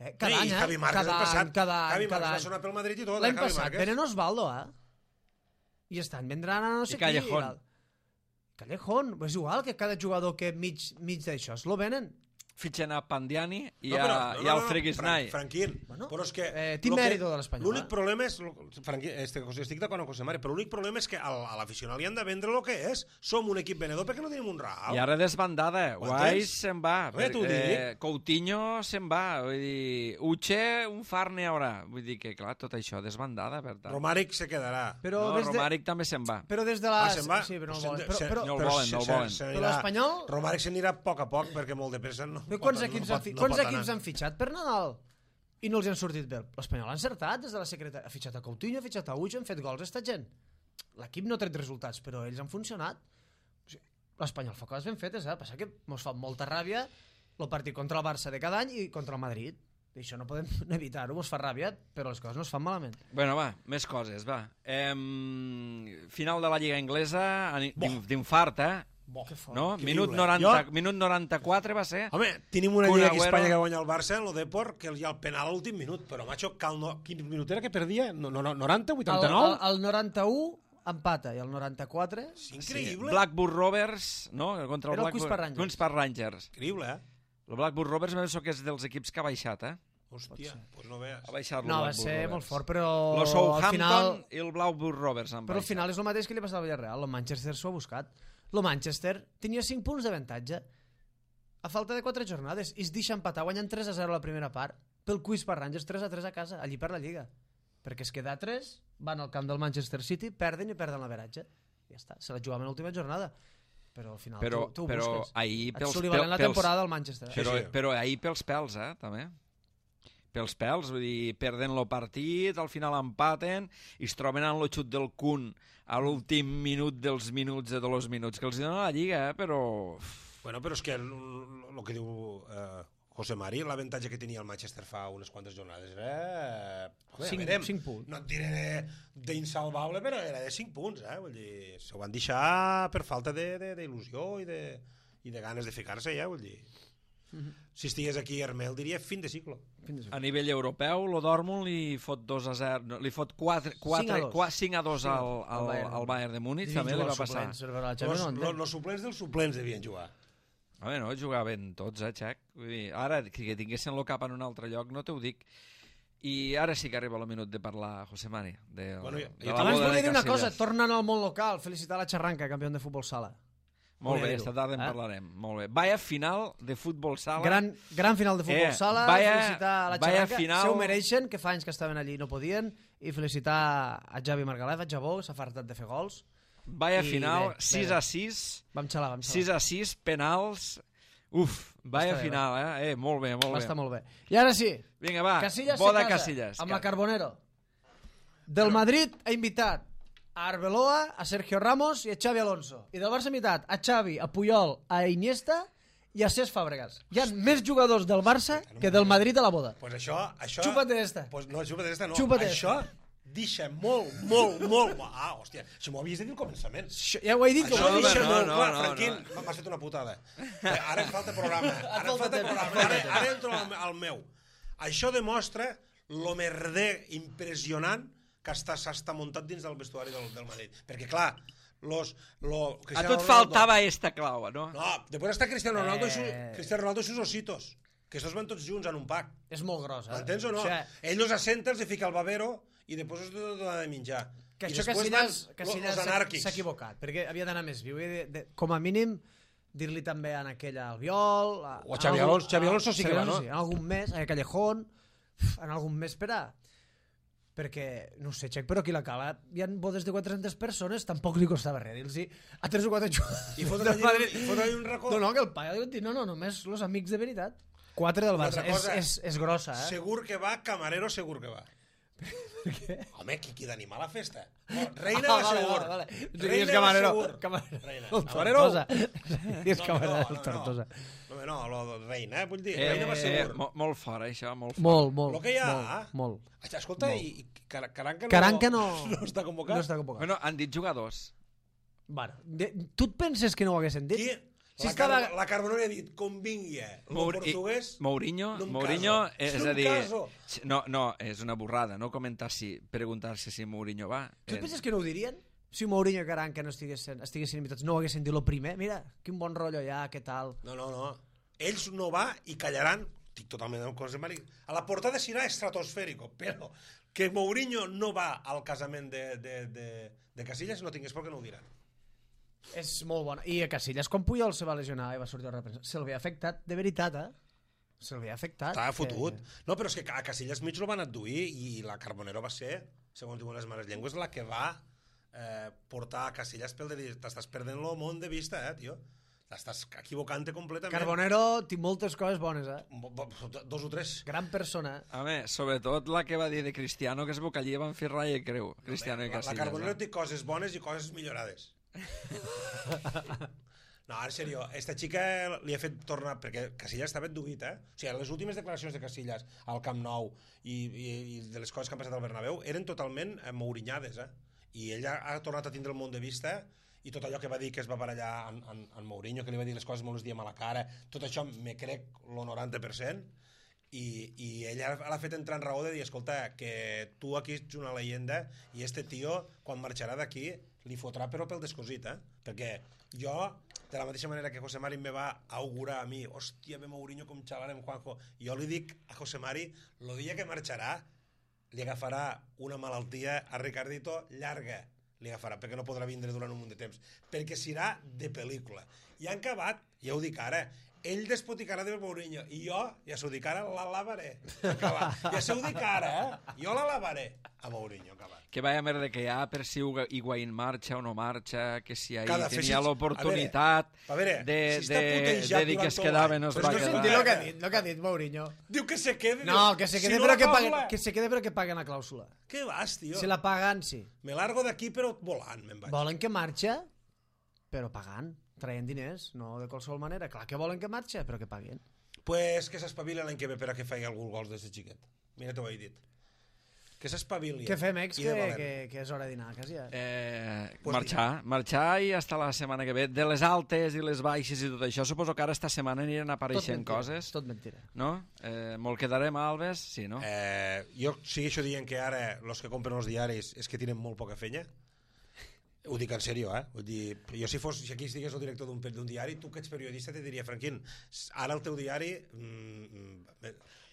Eh, cada Sí, any, i eh? Javi Márquez cada el passat. any, cada any, Javi cada Márquez va any. sonar pel Madrid i tot, eh, L'any Javi passat, Márquez. venen Osvaldo, eh? I estan vendran a no sé I Callejón. qui. Callejón. És igual que cada jugador que mig, mig d'això es lo venen. Fitxen a Pandiani i, No, a, però- i no, al no, no, Freguesnai. Fran- Franquín, Bueno, però és que... eh, té lo que- mèrit de l'Espanyol, L'únic eh? problema és... Franquín, este, estic d'acord amb José Mari, però l'únic problema és que al- a l'aficionat li han de vendre el que és. Som un equip venedor perquè no tenim un real. I ara desbandada. Ho Guais entens? se'n va. Bé, t'ho Eh, Coutinho se'n va. Vull dir, Uche, un far n'hi haurà. Vull dir que, clar, tot això desbandada, per tant. Romàric se quedarà. Però no, des de... Romàric també se'n va. Però des de Ah, la... se'n va? Sí, però no el Se'n- volen. Però, se- però, no el però volen, se- no el se- volen. se Però n'anirà- l'Espanyol- Romàric s'anirà a poc a poc perquè molt de pressa no, Però no quants pot- equips, no han, pot- fi... no quants pot equips anar. han fitxat per Nadal i no els hi han sortit bé? L'Espanyol ha encertat des de la secretaria. Ha fitxat a Coutinho, ha fitxat a Uix, han fet gols esta gent. L'equip no ha tret resultats, però ells han funcionat. O sigui, l'Espanyol fa coses ben fetes, eh? Passa que mos fa molta ràbia el partit contra el Barça de cada any i contra el Madrid. I això no podem evitar-ho, mos fa ràbia, però les coses no es fan malament. Bueno, va, més coses, va. Em... Final de la Lliga Inglesa, ani- d'in- d'infart, eh? Bo, Que fort. No? Increïble. Minut, noranta, Jo- minut noranta-quatre va ser. Home, tenim una Kun lliga aquí a Agüero. Espanya que guanya el Barça en el Deport, que hi ha el penal a l'últim minut, però macho, cal no... quin minut era que perdia? No, no, no, noranta, El, vuitanta-nou? el, el noranta-u empata i el noranta-quatre... És increïble. Blackburn Rovers, no? Contra el Era el Blackburn, Queens Park Rangers. Queens Park Rangers. Increïble, eh? El Blackburn Rovers penso que és dels equips que ha baixat, eh? Hòstia, doncs no veus. Ha baixat el No, va Blackburn ser Rovers. molt fort, però El al Southampton final... i el Blackburn Rovers han Però al baixat. final és el mateix que li passava al Villarreal. El Manchester s'ho ha buscat. El Manchester tenia cinc punts d'avantatge a falta de quatre jornades i es deixa empatar guanyant tres a zero a la primera part pel Queens Park Rangers, tres a tres a casa, allí per la Lliga. Perquè es queda a tres, van al camp del Manchester City, perden i perden l'averatge. Ja està, se la jugaven a l'última jornada. Però al final Però, tu, tu ho però busques. ahir Et pels, Sullivan en la pels, temporada al Manchester. eh? però, Sí, sí. però ahir pels pèls, eh, també. Pels pèls, vull dir, perden el partit, al final empaten i es troben en el xut del Kun a l'últim minut dels minuts de dos minuts que els dona la Lliga, eh, però... Bueno, però és que el, el que diu eh, José Mari, l'avantatge que tenia el Manchester fa unes quantes jornades era... Home, Cinc- ja verem. cinc punts. No et diré d'insalvable, però era de cinc punts, eh? Vull dir, s'ho van deixar per falta d'il·lusió i, de, i de ganes de ficar-se, ja, vull dir... Si estigués aquí Hermel diria fin de cicle. A nivell europeu, el Dortmund li fot dos a zero, no, li fot quatre, quatre, cinc a dos. cinc a dos al, al, Bayern. al Bayern de Múnich, Dirigir també li va els passar. suplents, per la Els Champions, no ho entenc. los suplents dels suplents devien jugar. Home, no, jugaven tots, eh, Xec? Vull dir, ara, que, que tinguessin el cap en un altre lloc, no te ho dic. I ara sí que arriba el minut de parlar, José Mari, de, Bueno, jo- de jo la Abans boda volia de dir una cosa, Casillas. tornant al món local, felicitar la Xarranca, campió de futbol sala. Molt Què bé, diu? esta tarda en Eh? parlarem. Molt bé. Vaya final de futbol sala. Gran, gran final de futbol Eh, sala, vaya- felicitar a la vaya xarranca, final- se ho mereixen, que fa anys que estaven allí i no podien, i felicitar a Javi Margalef, a Jabó, que s'ha fartat de fer gols. Vaya I final, bé, sis bé. a sis, Vam xalar, vam sis xalar. a sis, penals. Uf, vaya bé, final, eh? eh? Molt bé, molt Va bé. estar molt bé. I ara sí, Vinga, va, Casillas se boda casa Casillas. amb la Carbonero. Del Madrid ha invitat a Arbeloa, a Sergio Ramos i a Xavi Alonso. I del Barça ha invitat a Xavi, a Puyol, a Iniesta i a Cesc Fàbregas. Hi ha més jugadors del Barça que del Madrid a la boda. Pues això... això Chúpate esta. Pues no, chúpate esta no. Chúpate això deixa molt, molt, molt... Ah, hòstia, això m'ho havies de dir al començament. Això, ja ho he dit. que Això ho he dit. deixa no, molt no, clar, no, Franquín, m'has fet una putada. Eh, Ara em falta programa. Ara em falta falta temps, programa. falta Ara, temps. ara entro al, al meu. Això demostra lo merder impressionant que està, s'està muntat dins del vestuari del, del Madrid. Perquè, clar, los, lo, A Cristiano tu et Ronaldo- faltava esta clau, no? No, després està Cristiano Ronaldo, i su, Eh. Cristiano Ronaldo i sus ositos, que estos van tots junts en un pack. És molt gros, eh? M'entens o no? O sigui, Ell els assenta, els hi fica el babero i després els dona de menjar. que I això després Casillas, van Casillas los s'ha anàrquics. s'ha equivocat, perquè havia d'anar més viu. De, de, com a mínim, dir-li també en aquella Albiol... A, O a Xavi Alonso- Xavi Alonso sí que Xavi va, no? Alonso sí, en algun mes, a Callejón, en algun mes per a... Perquè, no ho sé, Xec, però aquí a la cala hi ha bodes de quatre-centes persones, tampoc li costava res dir-los a tres o quatre jugadors I fotre del allí, Madrid. i fotre allí un racó. No, no, que el paio diu, no, no, només els amics de veritat. Quatre del Una Barça. altra És, cosa, és, és grossa, eh? Segur que va, camarero segur que va. Per què? Home, qui, qui d'animar la festa? No, reina Ah, va vale, segur. vale, vale. Reina Digues va camarero. segur. Camarero. Reina. El Camarero. Tortosa. Digues camarero no, del no, Tortosa. No, no, no, lo de reina, eh, vull dir, Eh, reina va eh, segur. mo- molt fort, això, molt fort. Molt, molt. Lo que hi ha, Molt. molt. Escolta, Molt. i, i Car- Caranca no, Caranca no... no està convocat? No està convocat. Bueno, han dit jugadors. Bueno, de, tu et penses que no ho haguessin dit? Qui? Si la, estava... Car la Carbonera ha dit, convingui, el Mour- portuguès... i- Mourinho, no em Mourinho caso. és No a em dir... caso. No, no, és una borrada, no comentar si, preguntar-se si Mourinho va. Tu et Eh, penses que no ho dirien? Si Mourinho i Caranca no estiguessin, estiguessin invitats, no ho haguessin dit lo primer? Mira, quin bon rotllo hi ha, què tal... No, no, no. Ells no va i callaran, estic totalment amb coses de Mari. A la portada serà estratosfèrico, però que Mourinho no va al casament de, de, de, de Casillas no tingués por que no ho diran. És molt bona. I a Casillas, quan Puyol se va lesionar i va sortir a reprendre, se'l havia afectat, de veritat, eh? Se'l havia afectat. Estava fotut. Que... No, però és que a Casillas mig lo van adduir i la Carbonero va ser, segons diuen les mares llengües, la que va eh, portar a Casillas pel de dir, t'estàs perdent el món de vista, eh, tio. T'estàs equivocant-te completament. Carbonero té moltes coses bones, eh? Bo- bo- Dos o tres. Gran persona. eh? Home, sobretot la que va dir de Cristiano, que es bocallia van fer ratlla i creu. Cristiano i La, la Casillas. Carbonero eh? té coses bones i coses millorades. No, en sèrio, esta xica li ha fet tornar, perquè Casillas estava adduït, eh? O sigui, les últimes declaracions de Casillas al Camp Nou i, i, i de les coses que han passat al Bernabéu eren totalment eh, mourinyades, eh? I ella ha tornat a tindre el món de vista i tot allò que va dir que es va barallar en, en, en Mourinho, que li va dir les coses molt els diem a la cara, tot això me crec lo noranta per cent i, i ella l'ha fet entrar en raó de dir, escolta, que tu aquí ets una leyenda i este tio, quan marxarà d'aquí, li fotrà però pel descosit, eh? Perquè jo, de la mateixa manera que José Mari me va augurar a mi, hòstia, ve Mourinho com xalarem Juanjo, jo li dic a José Mari, el dia que marxarà, li agafarà una malaltia a Ricardito llarga, li agafarà, perquè no podrà vindre durant un munt de temps, perquè serà de pel·lícula. I han acabat, ja ho dic ara, ell despoticarà de Mourinho, i jo, ja s'ho dic ara, la lavaré. Acabat. Ja s'ho dic ara, eh? Jo la lavaré a Mourinho, acabat. Que vaya merda que hi ha per si Higuaín marxa o no marxa, que si ahir Cada tenia feixis- l'oportunitat a veure, de, si està de, putejat de dir que durant es tot quedava l'any. no es Però va és que quedar. Sentir el que ha dit, el que ha dit Mourinho. Diu que se quede. No, diu, que se si quede, no però la que pago paguen, la- que se quede però que paguen la clàusula. Què vas, tio? Si la paguen, sí. Me largo d'aquí però volant, me'n vaig. Volen que marxa, però pagant, traient diners, no de qualsevol manera. Clar que volen que marxa, però que paguen. Pues que s'espavili l'any que ve per a que faci algun gols des de xiquet. Mira, t'ho he dit. Que s'espavili. Què fem, ex, I de que, valent. que, que és hora de dinar, quasi. Eh? Eh, Pues marxar, marxar i hasta la setmana que ve. De les altes i les baixes i tot això, suposo que ara esta setmana aniran apareixent mentira, coses, Tot mentira. no? Eh, molt quedarem a Alves, sí, no? Eh, jo segueixo dient que ara els que compren els diaris és que tenen molt poca fenya. Ho dic en sèrio, eh? Vull dir, jo si, fos, si aquí estigués el director d'un d'un diari, tu que ets periodista te diria, Franquín, ara el teu diari mm,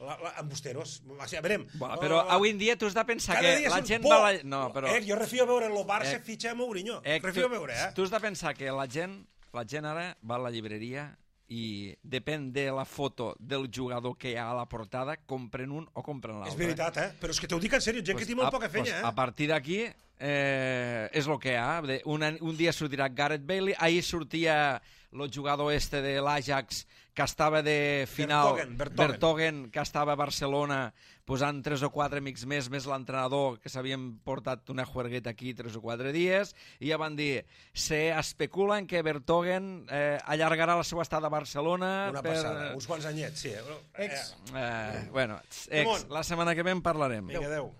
la, la, embusteros, o sigui, a veure, Bueno, però avui en dia tu has de pensar cada que dia la són gent por. va... La... No, però... Eh, jo refio a veure el Barça Eh, fitxa a Mourinho, Eh, refio a veure, eh? Tu has de pensar que la gent la gent ara va a la llibreria i depèn de la foto del jugador que hi ha a la portada, compren un o compren l'altre. És veritat, eh? Però és que t'ho dic en sèrio, gent pues que té molt a, poca fenya, pues eh? A partir d'aquí eh, és el que hi ha. Un, un dia sortirà Gareth Bale, ahir sortia el jugador este de l'Ajax que estava de final, Vertonghen, Vertonghen. Vertonghen, que estava a Barcelona posant tres o quatre amics més, més l'entrenador, que s'havien portat una juergueta aquí tres o quatre dies, i ja van dir, se especula en que Vertonghen eh, allargarà la seva estada a Barcelona. Una per... passada, uns quants anyets, sí. Eh? Ex. Eh, bueno, ex, la setmana que ve en parlarem. Vinga, adeu.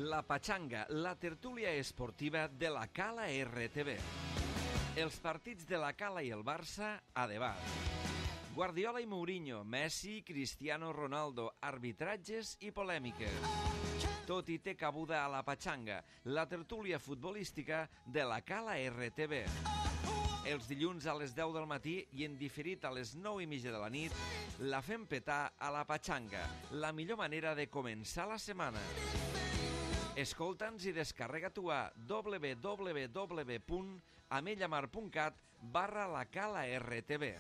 La Pachanga, la tertúlia esportiva de la Cala R T V. Els partits de la Cala i el Barça a debat. Guardiola i Mourinho, Messi, Cristiano Ronaldo, arbitratges i polèmiques. Tot hi té cabuda a la Pachanga, la tertúlia futbolística de la Cala R T V. Els dilluns a les deu del matí i en diferit a les nou i mitja de la nit, la fem petar a la Pachanga, la millor manera de començar la setmana. Escolta'ns i descarrega-t'ho a w w w punt amellamar punt cat barra la Cala R T V.